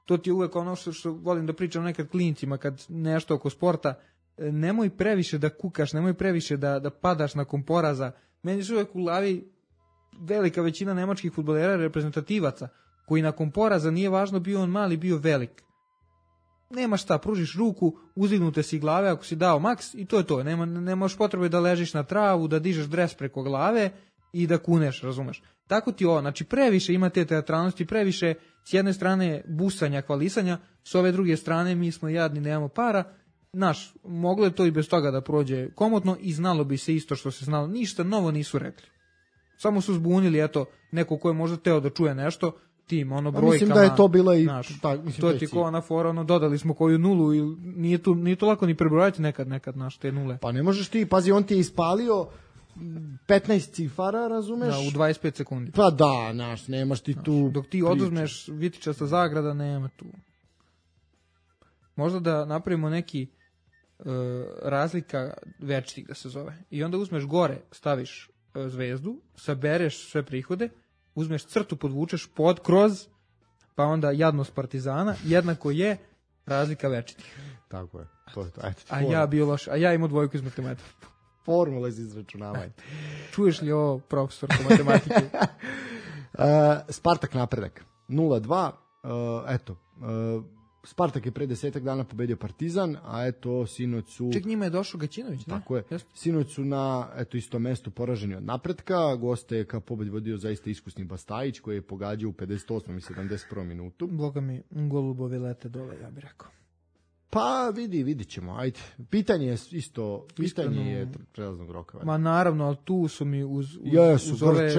to ti je uvek ono što volim da pričam nekad klincima kad nešto oko sporta, nemoj previše da kukaš, nemoj previše da padaš nakon poraza. Meni su uvek u glavi velika većina nemačkih fudbalera reprezentativaca, koji nakon poraza nije važno bio on mali, bio velik. Nema šta, pružiš ruku, uzdignute si glave ako si dao maks i to je to. Nemaš potrebe da ležiš na travu, da dižeš dres preko glave i da kuneš, razumeš. Tako ti ovo, znači previše ima te teatralnosti, previše s jedne strane busanja, hvalisanja, s ove druge strane mi smo jadni, nemamo para. Moglo je to i bez toga da prođe komotno i znalo bi se isto što se znalo. Ništa novo nisu rekli. Samo su zbunili, eto, neko ko je možda teo da čuje nešto, tim, brojkama. Mislim da je to bila i... to ti ko ona fora, dodali smo koju nulu i nije to lako ni prebrojati nekad, te nule. Pa ne možeš ti, pazi, on ti je ispalio 15 cifara, razumeš? Da, u 25 sekundi. Pa da, nemaš ti tu... Dok ti oduzmeš vitičasta zagrada, nema tu. Možda da napravimo neki razlika večitih da se zove. I onda uzmeš gore, staviš zvezdu, sabereš sve prihode, uzmeš crtu, podvučeš kroz, pa onda jadnost Partizana, jednako je razlika večitih. Tako je. To. A ja bio loš, a ja imao dvojku iz matematike. Formula iz izračunavanja. Čuješ li ovo, profesor po matematike? Spartak Napredak. 0-2. Spartak je pre 10 dana pobedio Partizan, a eto, sinoć su... Ček, njima je došao Gaćinović, ne? Tako je. Sinoć su na, istom mestu poraženi od Napretka. Goste je kao pobed vodio zaista iskusni Bastajić, koji je pogađao u 58. i 71. minutu. Boga mi, golubovi lete dole, ja bih rekao. Pa vidit ćemo, ajde. Pitanje je isto, je prelaznog roka. Ma naravno, ali tu su mi uz ove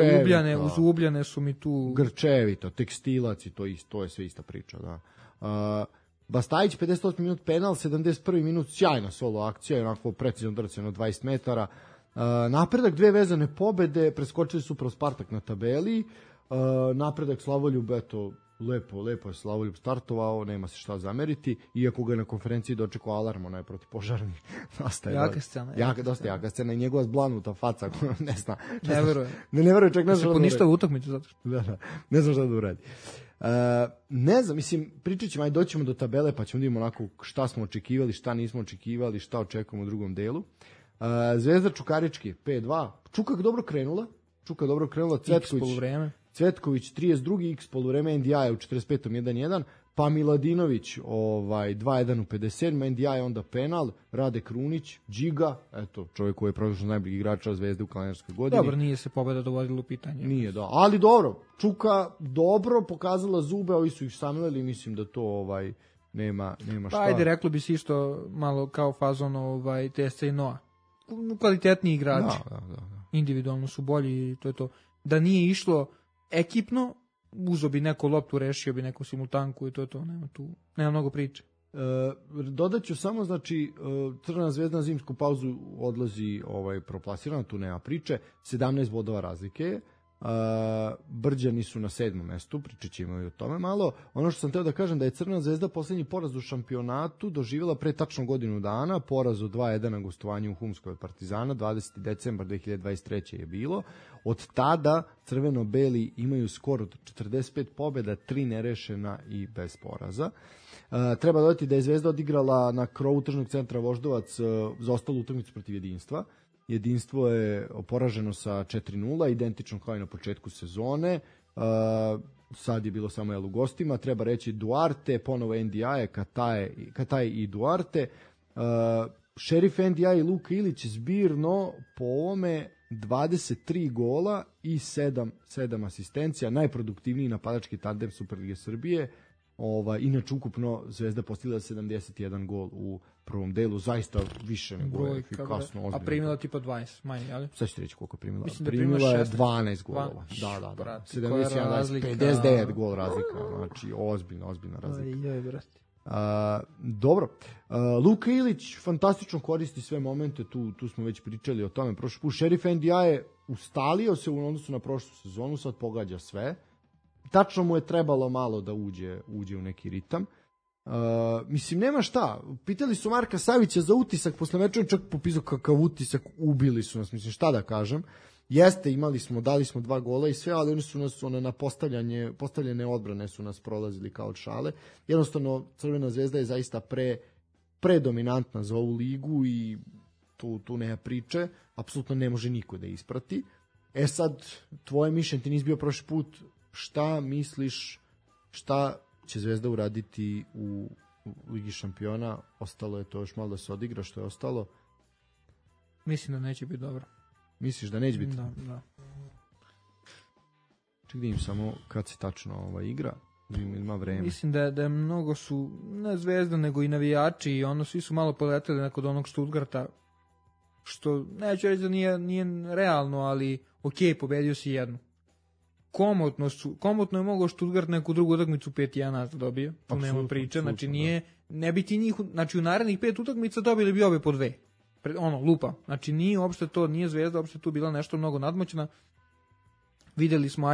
Ubljane su mi tu... Grčevito, Tekstilac i to je sve ista priča, da. Bastajić, 58 minut penal, 71 minut, sjajna solo akcija, onako precizno drceno 20 metara. Napredak, 2 vezane pobede, preskočili su pro Spartak na tabeli. Napredak Slavoljub, eto, lepo je Slavoljub startovao, nema se šta zameriti, iako ga na konferenciji dočekao alarm, onaj protipožarni. Jaka scena. Dosta jaka scena i njegova zblanuta faca, ne zna. Ne veruje. Ne veruje, čak ne znam. Se poništava utakmicu zato što. Da, ne znam šta da uradi. Ne znam, mislim, pričat ćemo, ajde doćemo do tabele pa ćemo da imamo onako šta smo očekivali, šta nismo očekivali, šta očekujemo u drugom delu. Zvezda Čukarički, 5-2. Čuka dobro krenula, Cvetković 32. X poluvreme, NDI u 45. 1-1, pa Miladinović 2-1 u 57. NDI onda penal, Rade Krunić, Džiga, eto, čovjek koji je prošao najboljeg igrača Zvezde u kalendarskoj godini. Dobro, nije se pobeda dovodila u pitanje. Nije, da, ali dobro, Čuka dobro pokazala zube, ovi su ih samljali, mislim da to nema šta. Pa ajde, reklo bi se isto malo kao fazon TSC i Noa. Kvalitetniji igrači. Da. Individualno su bolji i to je to. Da nije išlo ekipno, uzo bi neko loptu, rešio bi neku simultanku i to je to. Nema mnogo priče. Dodat ću samo, znači, Crvena zvezda na zimsku pauzu odlazi proplasirana, tu nema priče, 17 bodova razlike je. Brđani su na 7. mestu, pričat ćemo i o tome malo. Ono što sam teo da kažem da je Crvena zvezda poslednji poraz u šampionatu doživjela pre tačno godinu dana, poraz od 2-1 na gostovanju u Humskoj od Partizana, 20. decembar 2023. je bilo. Od tada crveno-beli imaju skor od 45 pobjeda, 3 nerešena i bez poraza. Treba dodati da je Zvezda odigrala na krovu tržnog centra Voždovac za ostalu utakmicu protiv Jedinstva. Jedinstvo je poraženo sa 4-0, identično kao i na početku sezone. Sad je bilo samo u gostima. Treba reći Duarte, ponovo NDI, Kataj i Duarte. Šerif NDI i Luka Ilić zbirno po ovome 23 gola i 7 asistencija. Najproduktivniji napadački tandem Superlige Srbije. Inače ukupno Zvezda postigla 71 gol u prvom delu, zaista više nego efikasno, ozbiljno. A primila tipa 20 manje, ali? Sad ću reći koliko primila. Mislim primila je 12 golova. Da. Brate, 59 gol razlika, znači ozbiljna razlika. Aj, brate. Dobro. Luka Ilić fantastično koristi sve momente, tu smo već pričali o tome prošli put. Šerif NDI je ustalio se u odnosu na prošlu sezonu, sad pogađa sve. Tačno mu je trebalo malo da uđe u neki ritam. Mislim, nema šta. Pitali su Marka Savića za utisak posle meča, čak popisao kakav utisak, ubili su nas, mislim, šta da kažem. Jeste, dali smo 2 gola i sve, ali oni su nas na postavljene odbrane su nas prolazili kao od šale. Jednostavno, Crvena zvezda je zaista predominantna za ovu ligu i tu nema priče. Apsolutno ne može niko da isprati. Sad, tvoje mišljenje, ti nisi bio prošli put, šta misliš, šta će Zvezda uraditi u Ligi šampiona? Ostalo je to još malo da se odigra, što je ostalo? Mislim da neće biti dobro. Misliš da neće biti? Da. Ček da im samo kad se tačno igra, da ima vreme. Mislim da mnogo su, ne Zvezda, nego i navijači i svi su malo poleteli kod onog Stuttgarta, što neću reći da nije realno, ali okej, pobedio si jednu. Komotno je mogao Stuttgart neku drugu utakmicu 5-1 da dobio, tu nema priče, znači ne bi ti njih, znači u narednih 5 utakmica dobili bi obe po 2, lupa, znači nije uopšte to, nije Zvezda uopšte tu bila nešto mnogo nadmoćna, videli smo,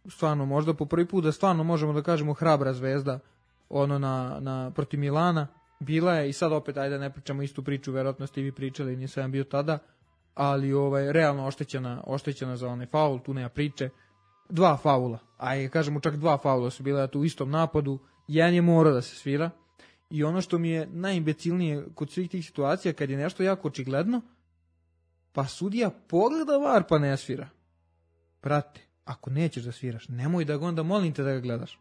stvarno možda po prvi put da stvarno možemo da kažemo hrabra Zvezda, na protiv Milana, bila je i sad opet, ne pričamo istu priču, verovatno ste i vi pričali, nisam bio tada, ali realno oštećena za onaj faul, tu nema priče. 2 faula, kažemo čak 2 faula su bila tu u istom napadu, jedan je morao da se svira i ono što mi je najimbecilnije kod svih tih situacija, kad je nešto jako očigledno, pa sudija pogleda VAR pa ne svira. Brate, ako nećeš da sviraš, nemoj da ga onda, molim te da ga gledaš.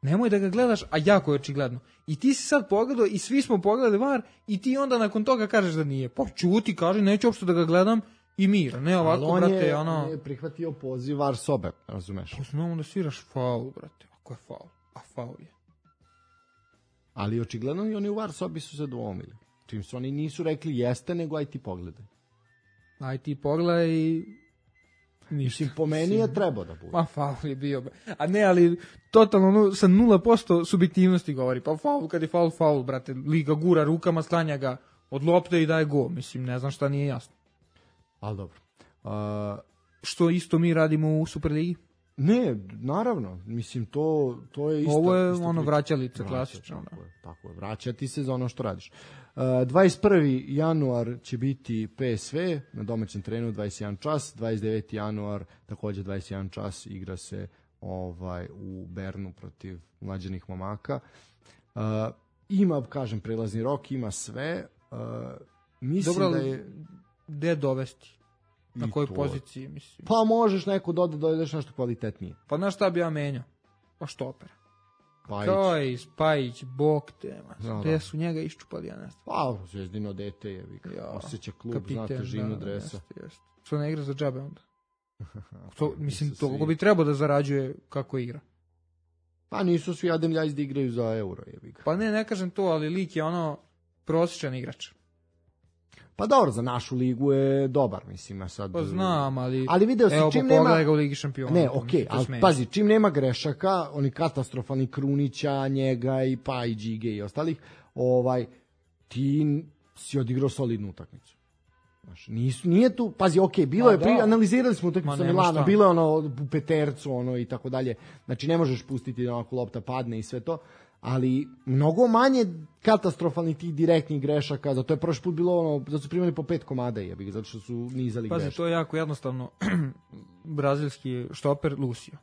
Nemoj da ga gledaš, a jako je očigledno. I ti si sad pogledao i svi smo pogledali VAR i ti onda nakon toga kažeš da nije. Pa čuti, kaži, neću uopšte da ga gledam i mira. Ne ovako, on brate, on je prihvatio poziv VAR sobe, razumeš? Pa znamo da sviraš faul, brate. Ako je faul? A faul je. Ali očigledno i oni u VAR sobi su se dvomili. Čim su oni nisu rekli jeste, nego aj ti pogledaj. Aj ti pogledaj i... Mislim, po meni je trebao da bude. Ma faul je bio. A ne, ali totalno sa 0% subjektivnosti govori. Pa faul, kad je faul, brate. Liga gura rukama, sklanja ga od lopte i daje gol. Mislim, ne znam šta nije jasno. Ali dobro. Što isto mi radimo u Superligi? Ne, naravno. Mislim, to je isto. Ovo je vraćalica klasično. Tako je, vraćati se za ono što radiš. 21. januar će biti PSV na domaćem terenu 21 čas, 29. januar takođe 21 čas igra se u Bernu protiv mlađanih momaka. Ima, kažem, prelazni rok, ima sve. Mislim dobro, da je... Gde dovesti? Na kojoj poziciji, mislim? Pa možeš neko dodaš nešto kvalitetnije. Pa znaš šta bi ja menjao? Pa štopera. Spajić, bok te, gde su njega iščupali, ja ne znam. Pa, Zvezdino dete je, osjeća klub, zna težinu dresa. Što ne igra za džabe onda? Mislim, toliko bi trebao da zarađuje kako igra. Pa nisu svi Adem Ljajić da igraju za euro. Pa ne kažem to, ali lik je ono prosječan igrač. Pa dobro, za našu ligu je dobar, mislim, a sad... Pa znam, ali video si, evo, čim nema... pogledaj ga u Ligi šampiona. Ne, okej, ali pazi, čim nema grešaka, oni katastrofalni Krunića, njega i pa i Đige i ostalih, ti si odigrao solidnu utakmicu. Znaš, nije tu, pazi, bilo je, analizirali smo utakmicu sa Milano, bilo je ono u petercu, i tako dalje, znači ne možeš pustiti da onako lopta padne i sve to, ali mnogo manje katastrofalnih tih direktnih grešaka, zato je prošli put bilo zato su primali po 5 komada, zato što su nizali greške. Pazi, to je jako jednostavno. Brazilski štoper Lucio,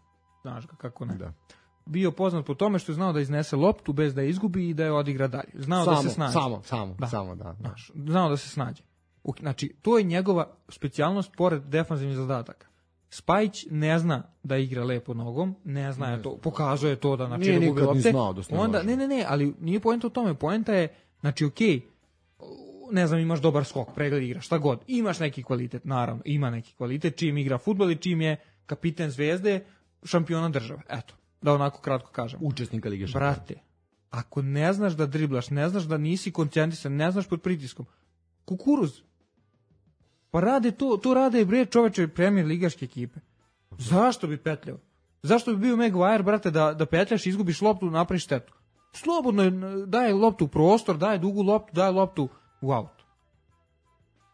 znaš ga, kako ne. Da. Bio poznat po tome što je znao da iznese loptu bez da je izgubi i da je odigra dalje. Znao da se snađe. Samo, da. Znao da se snađe. Znači, to je njegova specijalnost pored defanzivnih zadataka. Spajić ne zna da igra lepo nogom, ne zna to, pokazuje to da znači da gubi lopte. Onda ne, ali nije poenta u tome, poenta je, znači okej, ne znam, imaš dobar skok, pregled igra, šta god, imaš neki kvalitet, naravno, ima neki kvalitet, čim igra fudbal i čim je kapiten Zvezde, šampiona države, eto, da onako kratko kažem. Učesnika Lige šampiona. Brate, ako ne znaš da driblaš, ne znaš da nisi koncentrisan, ne znaš pod pritiskom, kukuruz, pa rade to rade bre čoveče premijer ligaške ekipe. Zašto bi petljao? Zašto bi bio Maguire, brate, da petljaš, izgubiš loptu, napraviš štetu? Slobodno daje loptu u prostor, daje dugu loptu, daje loptu u aut.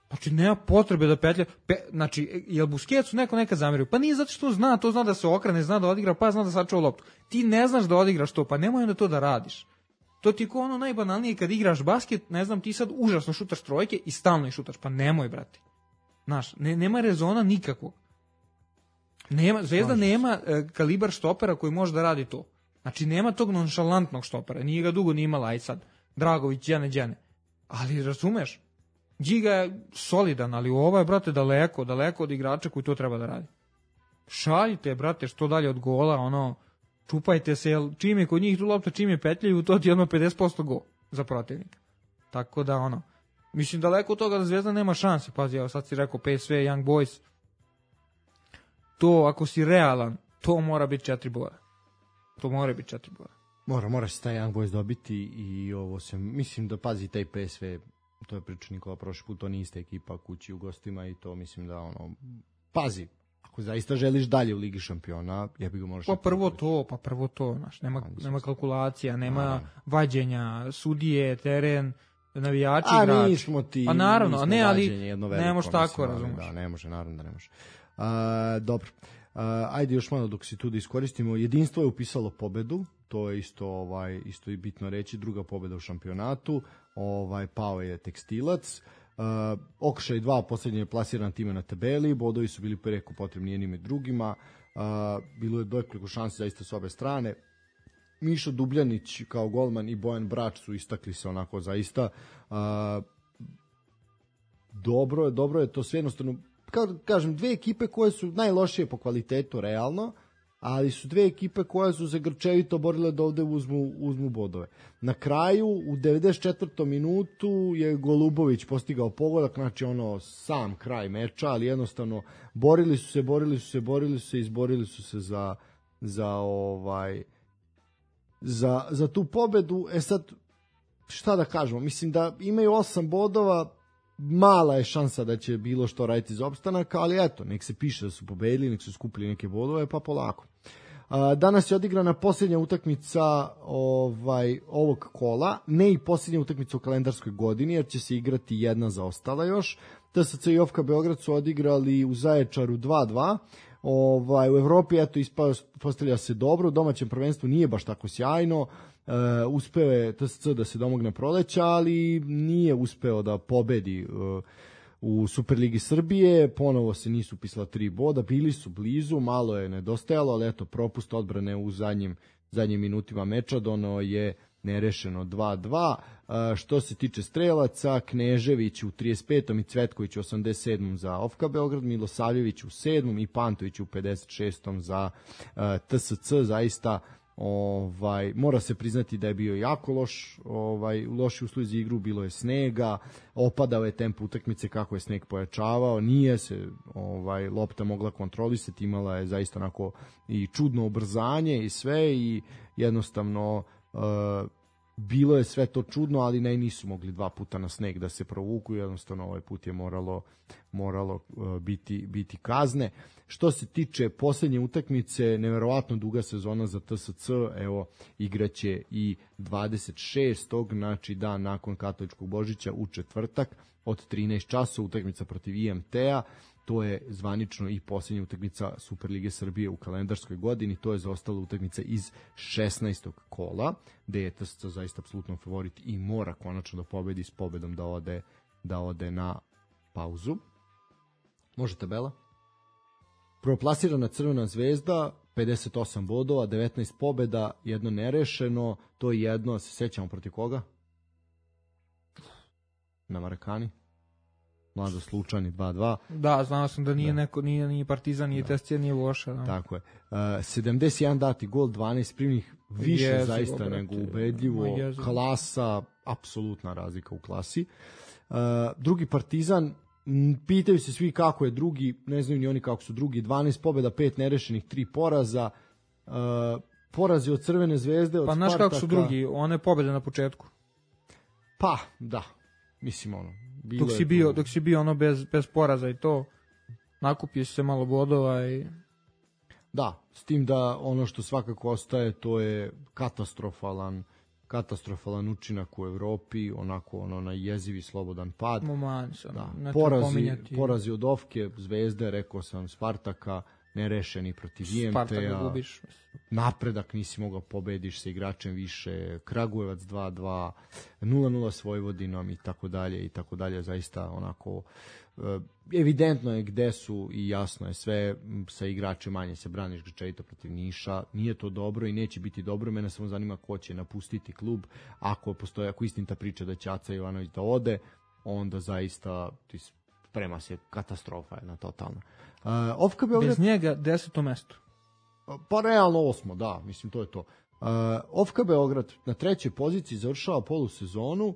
Znači, nema potrebe da petlja. Znači, jel Busquetsu neko nekad zamerio? Pa nije zato što zna, to zna da se okrene, zna da odigra, pa zna da sačuva loptu. Ti ne znaš da odigraš to, pa nemoj onda to da radiš. To ti je kao ono najbanalnije kad igraš basket, ne znam, ti sad užasno šutaš trojke i stalno ih šutaš, pa nemoj, brate. Znaš, nema rezona nikakvog. Zvezda nema kalibar štopera koji može da radi to. Znači, nema tog nonšalantnog štopera. Nije ga dugo ni imala, aj sad. Dragović, Đene. Ali, razumeš, Điga je solidan, ali ovo je, brate, daleko od igrača koji to treba da radi. Šaljite, brate, što dalje od gola, čupajte se, jer čim je kod njih tu lopta, čim je petljaju, to ti je odmah 50% go za protivnika. Tako da, mislim, daleko od toga da Zvezda nema šanse. Pazi, evo sad si rekao PSV, Young Boys. To, ako si realan, to mora biti 4 boda. To mora biti 4 boda. Mora se taj Young Boys dobiti i ovo se, mislim da pazi taj PSV, to je priča Nikola prošli put, to nije ista ekipa kući u gostima i to mislim da pazi, ako zaista želiš dalje u Ligi šampiona, jebi ga možeš... Pa prvo to, znaš, nema kalkulacija, nema vađenja, sudije, teren, navijači, igrači. Nismo ti, pa naravno, ne, ali ne može tako, razumiješ. Da, ne može, naravno da ne može. Dobro, ajde još malo dok si tu da iskoristimo. Jedinstvo je upisalo pobedu, to je isto i bitno reći, druga pobeda u šampionatu, pao je Tekstilac, Okršaj 2 posljednje je plasiran time na tabeli, bodovi su bili preko potrebni jednim i drugima, bilo je nekoliko šansi zaista s obe strane. Mišo Dubljanić kao golman i Bojan Brač su istakli se onako zaista. Dobro je to sve jednostavno, kažem, dve ekipe koje su najlošije po kvalitetu realno, ali su dve ekipe koje su se grčevito borile da ovde uzmu bodove. Na kraju, u 94. minutu je Golubović postigao pogodak, znači sam kraj meča, ali jednostavno borili su se, izborili su se za tu pobedu. Sad, šta da kažemo, mislim da imaju 8 bodova, mala je šansa da će bilo što raditi za opstanak, ali eto, nek se piše da su pobedili, nek su skupili neke bodove, pa polako. Danas je odigrana posljednja utakmica ovog kola, ne i posljednja utakmica u kalendarskoj godini, jer će se igrati jedna zaostala još. TSC i OFK Beograd su odigrali u Zaječaru 2-2. U Evropi, eto, postavlja se dobro, u domaćem prvenstvu nije baš tako sjajno, uspeo je TSC da se domogne proleća, ali nije uspeo da pobedi u Superligi Srbije, ponovo se nisu upisala 3 boda, bili su blizu, malo je nedostajalo, ali eto, propust odbrane u zadnjim minutima meča, dono je nerešeno 2-2. Što se tiče strelaca, Knežević u 35. i Cvetković u 87. za OFK Beograd, Milosavljević u 7. i Pantović u 56. za TSC, zaista Mora se priznati da je bio jako loš, loši uslovi za igru, bilo je snega, opadao je tempo utakmice kako je sneg pojačavao, nije se lopta mogla kontrolisati, imala je zaista onako i čudno ubrzanje i sve i jednostavno bilo je sve to čudno, ali nisu mogli 2 puta na sneg da se provuku, jednostavno ovaj put je moralo biti kazne. Što se tiče posljednje utakmice, neverovatno duga sezona za TSC, evo igraće i 26. znači dan nakon katoličkog Božića u četvrtak od 13 časova utakmica protiv IMT-a. To je zvanično i posljednja utakmica Superlige Srbije u kalendarskoj godini, to je zaostala utakmica iz 16. kola, gde je TSC zaista apsolutno favorit i mora konačno da pobedi s pobedom da ode na pauzu. Može tabela? Prvoplasirana Crvena zvezda, 58 bodova, 19 pobeda, jedno nerešeno, to je jedno, se sećamo protiv koga? Na Marakani. Mlađo Slučani 2-2. Da, znao sam da nije neko, nije Partizan, nije Testija, nije Voša. Da. Tako je. 71 dati gol, 12 primljenih, više zaista nego ubedljivo. Klasa, apsolutna razlika u klasi. Drugi Partizan, pitaju se svi kako je drugi, ne znaju ni oni kako su drugi, 12 pobjeda, 5 nerešenih, 3 poraza. Porazi od Crvene zvezde, od Spartaka. Pa znaš kako su drugi, one pobjede na početku. Pa, da, mislim ono. Dok si bio ono bez poraza i to, nakupio se malo bodova i... Da, s tim da ono što svakako ostaje, to je katastrofalan učinak u Evropi, onako na jezivi slobodan pad. Porazi od Ofke, Zvezde, rekao sam, Spartaka, nerešeni protiv IMT-a, napredak nisi mogao pobediš sa igračem više, Kragujevac 2-2, 0-0 s Vojvodinom i tako dalje, zaista onako evidentno je gde su i jasno je sve, sa igračem manje se braniš grčevito protiv Niša, nije to dobro i neće biti dobro, mene samo zanima ko će napustiti klub, ako istinita priča da će Aca Ivanović da ode, onda zaista sprema se katastrofa jedna totalna. Bez njega 10. mesto. Pa realno 8. da, mislim to je to. OFK Beograd na 3. poziciji završava polusezonu,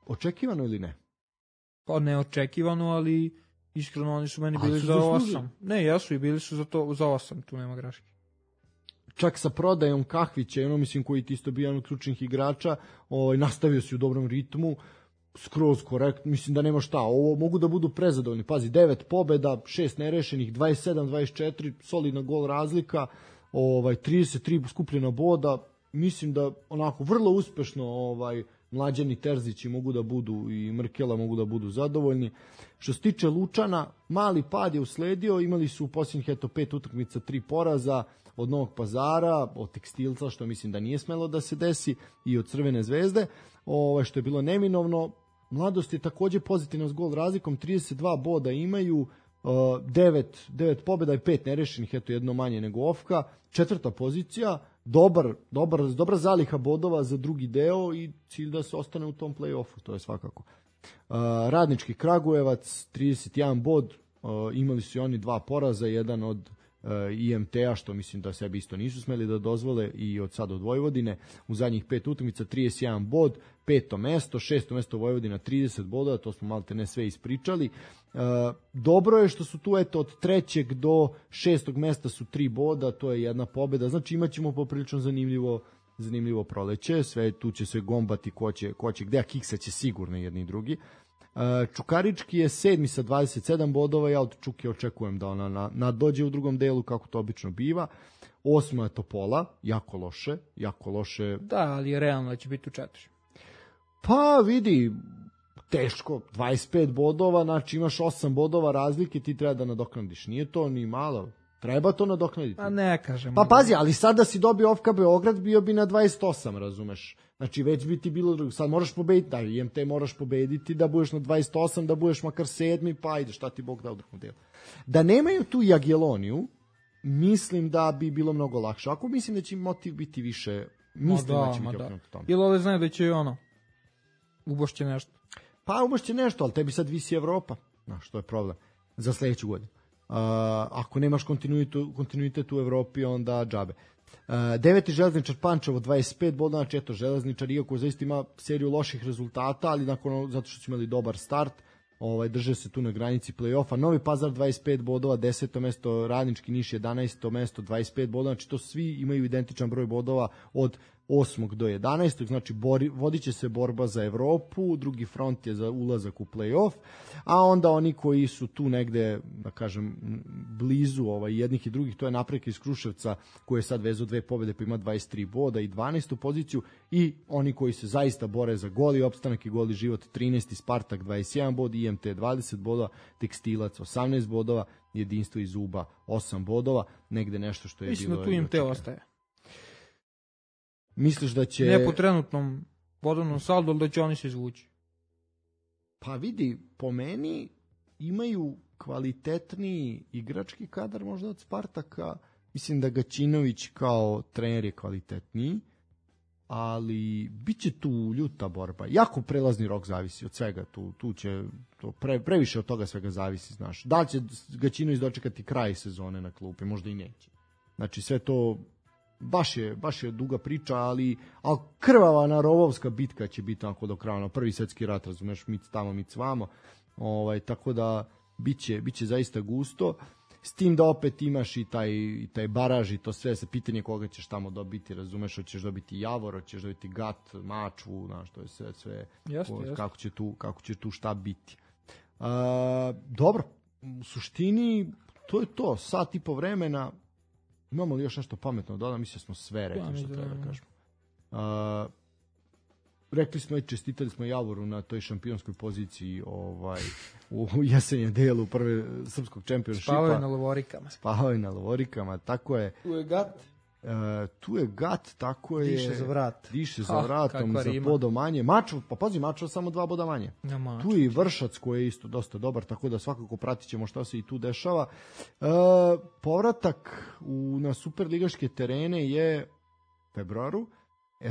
očekivano ili ne? Pa neočekivano, ali iskreno oni su meni bili za 8. Ne, jesu i bili su za 8, tu nema greške. Čak sa prodajom Kahvića, mislim koji ti isto bio jedan od ključnih igrača, nastavio si u dobrom ritmu, skroz korekt, mislim da nema šta, ovo mogu da budu prezadovoljni, pazi, 9 pobjeda, 6 nerešenih, 27-24, solidna gol razlika, 33 skupljena boda, mislim da onako vrlo uspešno Mlađani Terzići mogu da budu i Mrkela mogu da budu zadovoljni. Što se tiče Lučana, mali pad je usledio, imali su u posljednjih 5 utakmica 3 poraza od Novog Pazara, od Tekstilca, što mislim da nije smelo da se desi, i od Crvene zvezde, što je bilo neminovno. Mladost je također pozitivno s gol razlikom, 32 boda imaju, 9 pobjeda i 5 nerešenih, jedno manje nego Ofka. 4. pozicija, dobra zaliha bodova za drugi deo i cilj da se ostane u tom play-offu, to je svakako. Radnički Kragujevac, 31 bod, imali su i oni 2 poraza, jedan od IMT-a, što mislim da sebi isto nisu smeli da dozvole, i od sada od Vojvodine. U zadnjih 5 utakmica 31 bod, 5. mesto, 6. mesto Vojvodina 30 boda, to smo malte ne sve ispričali. Dobro je što su tu od 3. do 6. mesta su 3 boda, to je jedna pobjeda, znači imat ćemo poprilično zanimljivo proleće, sve tu će se gombati ko će gde, a kiksa će sigurno jedni i drugi. Čukarički je 7. sa 27 bodova, ja od Čuke očekujem da ona nadođe u drugom delu kako to obično biva. 8. je Topola, jako loše. Da, ali je realno da će biti u 4. Pa vidi, teško, 25 bodova, znači imaš 8 bodova razlike, ti treba da nadoknadiš, nije to ni malo. Treba to nadoknaditi. A ne kažem. Pa pazi, ali sad da si dobio OFK Beograd, bio bi na 28, razumeš? Znači već bi ti bilo drugo. Sad moraš pobediti, da IMT moraš pobediti, da budeš na 28, da budeš makar 7, pa ajde, šta ti Bog da u drugom delu. Da nemaju tu Jagielloniju, mislim da bi bilo mnogo lakše. Ako mislim da će motiv biti više, mislim da će biti okrenuto tome. Ili ovdje znaju da će ubošće nešto? Pa ubošće nešto, ali tebi sad visi Evropa. Znaš, to je problem. Za sledeću godinu. Ako nemaš kontinuitet u Evropi, onda džabe. Deveti Železničar Pančevo 25 bodova, znači eto Železničar iako zaista ima seriju loših rezultata, ali zato što su imali dobar start, drže se tu na granici play-offa. Novi Pazar 25 bodova, 10. mesto, Radnički Niš 11. mesto, 25 bodova, znači to svi imaju identičan broj bodova od 8. do 11. Znači vodit će se borba za Evropu, drugi front je za ulazak u play-off, a onda oni koji su tu negde, da kažem, blizu jednih i drugih, to je Napredak iz Kruševca koji je sad vezao 2 pobjede pa ima 23 boda i 12. poziciju, i oni koji se zaista bore za goli opstanak i goli život, 13. Spartak 21 bod, IMT 20 bodova, Tekstilac 18 bodova, Jedinstvo iz Uba 8 bodova, negde nešto što je mislim bilo... Mislim da tu IMT ostaje. Misliš da će... Ne po trenutnom bodovnom saldu, ali da će oni se izvući. Pa vidi, po meni imaju kvalitetniji igrački kadar možda od Spartaka. Mislim da Gaćinović kao trener je kvalitetniji, ali bit će tu ljuta borba. Jako prelazni rok zavisi od svega. Tu će previše od toga svega zavisi, znaš. Da li će Gaćinović dočekati kraj sezone na klupi? Možda i neće. Znači sve to... Baš je duga priča, ali krvava narovovska bitka će biti onako do kraja, prvi svetski rat, razumeš, mic tamo, mic vamo, tako da biće zaista gusto, s tim da opet imaš i taj baraž i to sve, sa pitanje koga ćeš tamo dobiti, razumeš, hoćeš dobiti Javor, hoćeš dobiti Gat, Mačvu, znaš, to je sve jasne. Kako će tu šta biti. Dobro, u suštini to je to, sat i po vremena. Imamo li još nešto pametno da mislim smo sve rekli što treba da kažemo. Rekli smo i čestitali smo Javoru na toj šampionskoj poziciji u jesenjem delu prve srpskog čempionšipa. Spavaju na lovorikama, tako je. Tu je Gat, tako je. Diše za vratom, za bodom manje. Mačva samo 2 boda manje. Tu je i Vršac koji je isto dosta dobar, tako da svakako pratit ćemo šta se i tu dešava. Povratak na superligaške terene je februaru.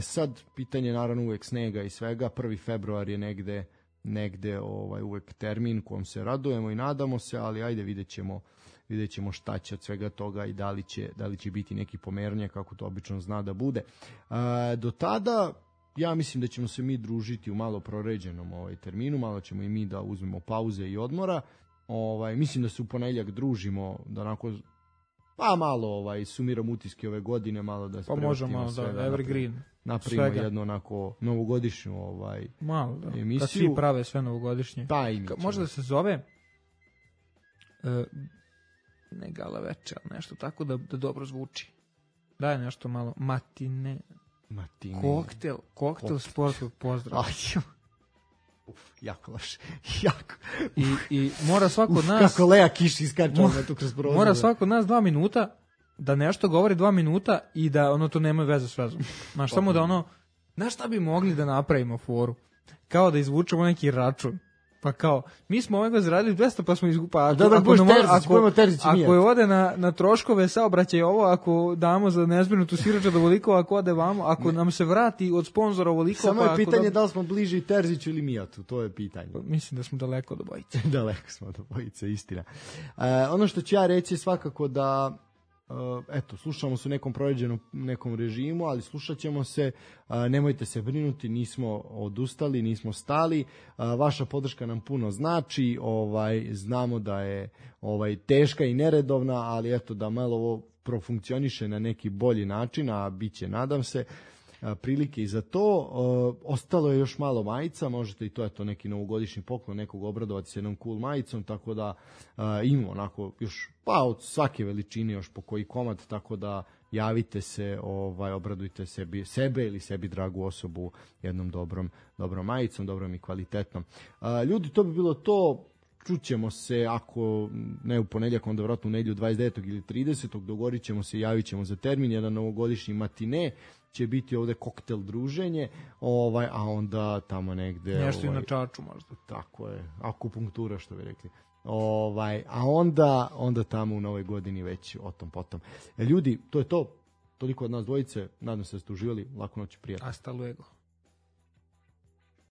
Sad, pitanje naravno uvek snega i svega. 1. februar je negde uvek termin kojom se radujemo i nadamo se, ali ajde vidjet ćemo šta će od svega toga i da li će biti neki pomeranje kako to obično zna da bude. Do tada ja mislim da ćemo se mi družiti u malo proređenom terminu, malo ćemo i mi da uzmemo pauze i odmora. Mislim da se u ponedjeljak družimo, da onako malo sumiramo utiske ove godine, malo da se možemo da evergreen napravimo jednu onako novogodišnju malo, da. Emisiju. Kad svi prave sve novogodišnje. Možda da se zove ne gala večer, nešto tako da dobro zvuči. Daj nešto malo matine. Koktel sportskog pozdrava. Jako loše. Jako. I mora svako od nas... Kako Lea Kiš iskačao tu kroz prozor. Mora svako od nas 2 minuta da nešto govori 2 minuta i da to nema veze s vezom. Znaš, samo da znaš šta bi mogli da napravimo foru? Kao da izvučemo neki račun. Pa kao, mi smo ovega zaradili 200 pa smo izgupali. Ako je ode na troškove saobraćaj ako damo za nezbrinutu siroča do voliko, ako ode vamo, ako nam se vrati od sponzora voliko... Samo je pitanje da li smo bliži Terziću ili Mijatu, to je pitanje. Mislim da smo daleko od obojice. Daleko smo od obojice, istina. Ono što ću ja reći je svakako da slušamo se u nekom proređenom nekom režimu, ali slušat ćemo se, nemojte se brinuti, nismo odustali, nismo stali, vaša podrška nam puno znači, znamo da je teška i neredovna, ali da malo ovo profunkcioniše na neki bolji način, a bit će, nadam se, prilike i za to. Ostalo je još malo majica, možete i to je to neki novogodišnji poklon, nekog obradovati s jednom cool majicom, tako da imamo onako još od svake veličine još po koji komad, tako da javite se, obradujte sebe ili sebi dragu osobu jednom dobrom majicom, dobrom i kvalitetnom. Ljudi, to bi bilo to. Čućemo se, ako ne u ponedjeljak, onda vratno u nedjelju 29. ili 30. dogovorit ćemo se, javit ćemo za termin, jedan novogodišnji matine, će biti ovde koktel druženje, a onda tamo negde... Nešto i na čaču možda. Tako je, akupunktura što bi rekli. A onda tamo u novoj godini već o tom potom. Ljudi, to je to. Toliko od nas dvojice, nadam se da ste uživali, laku noć i prijatno. Hasta luego.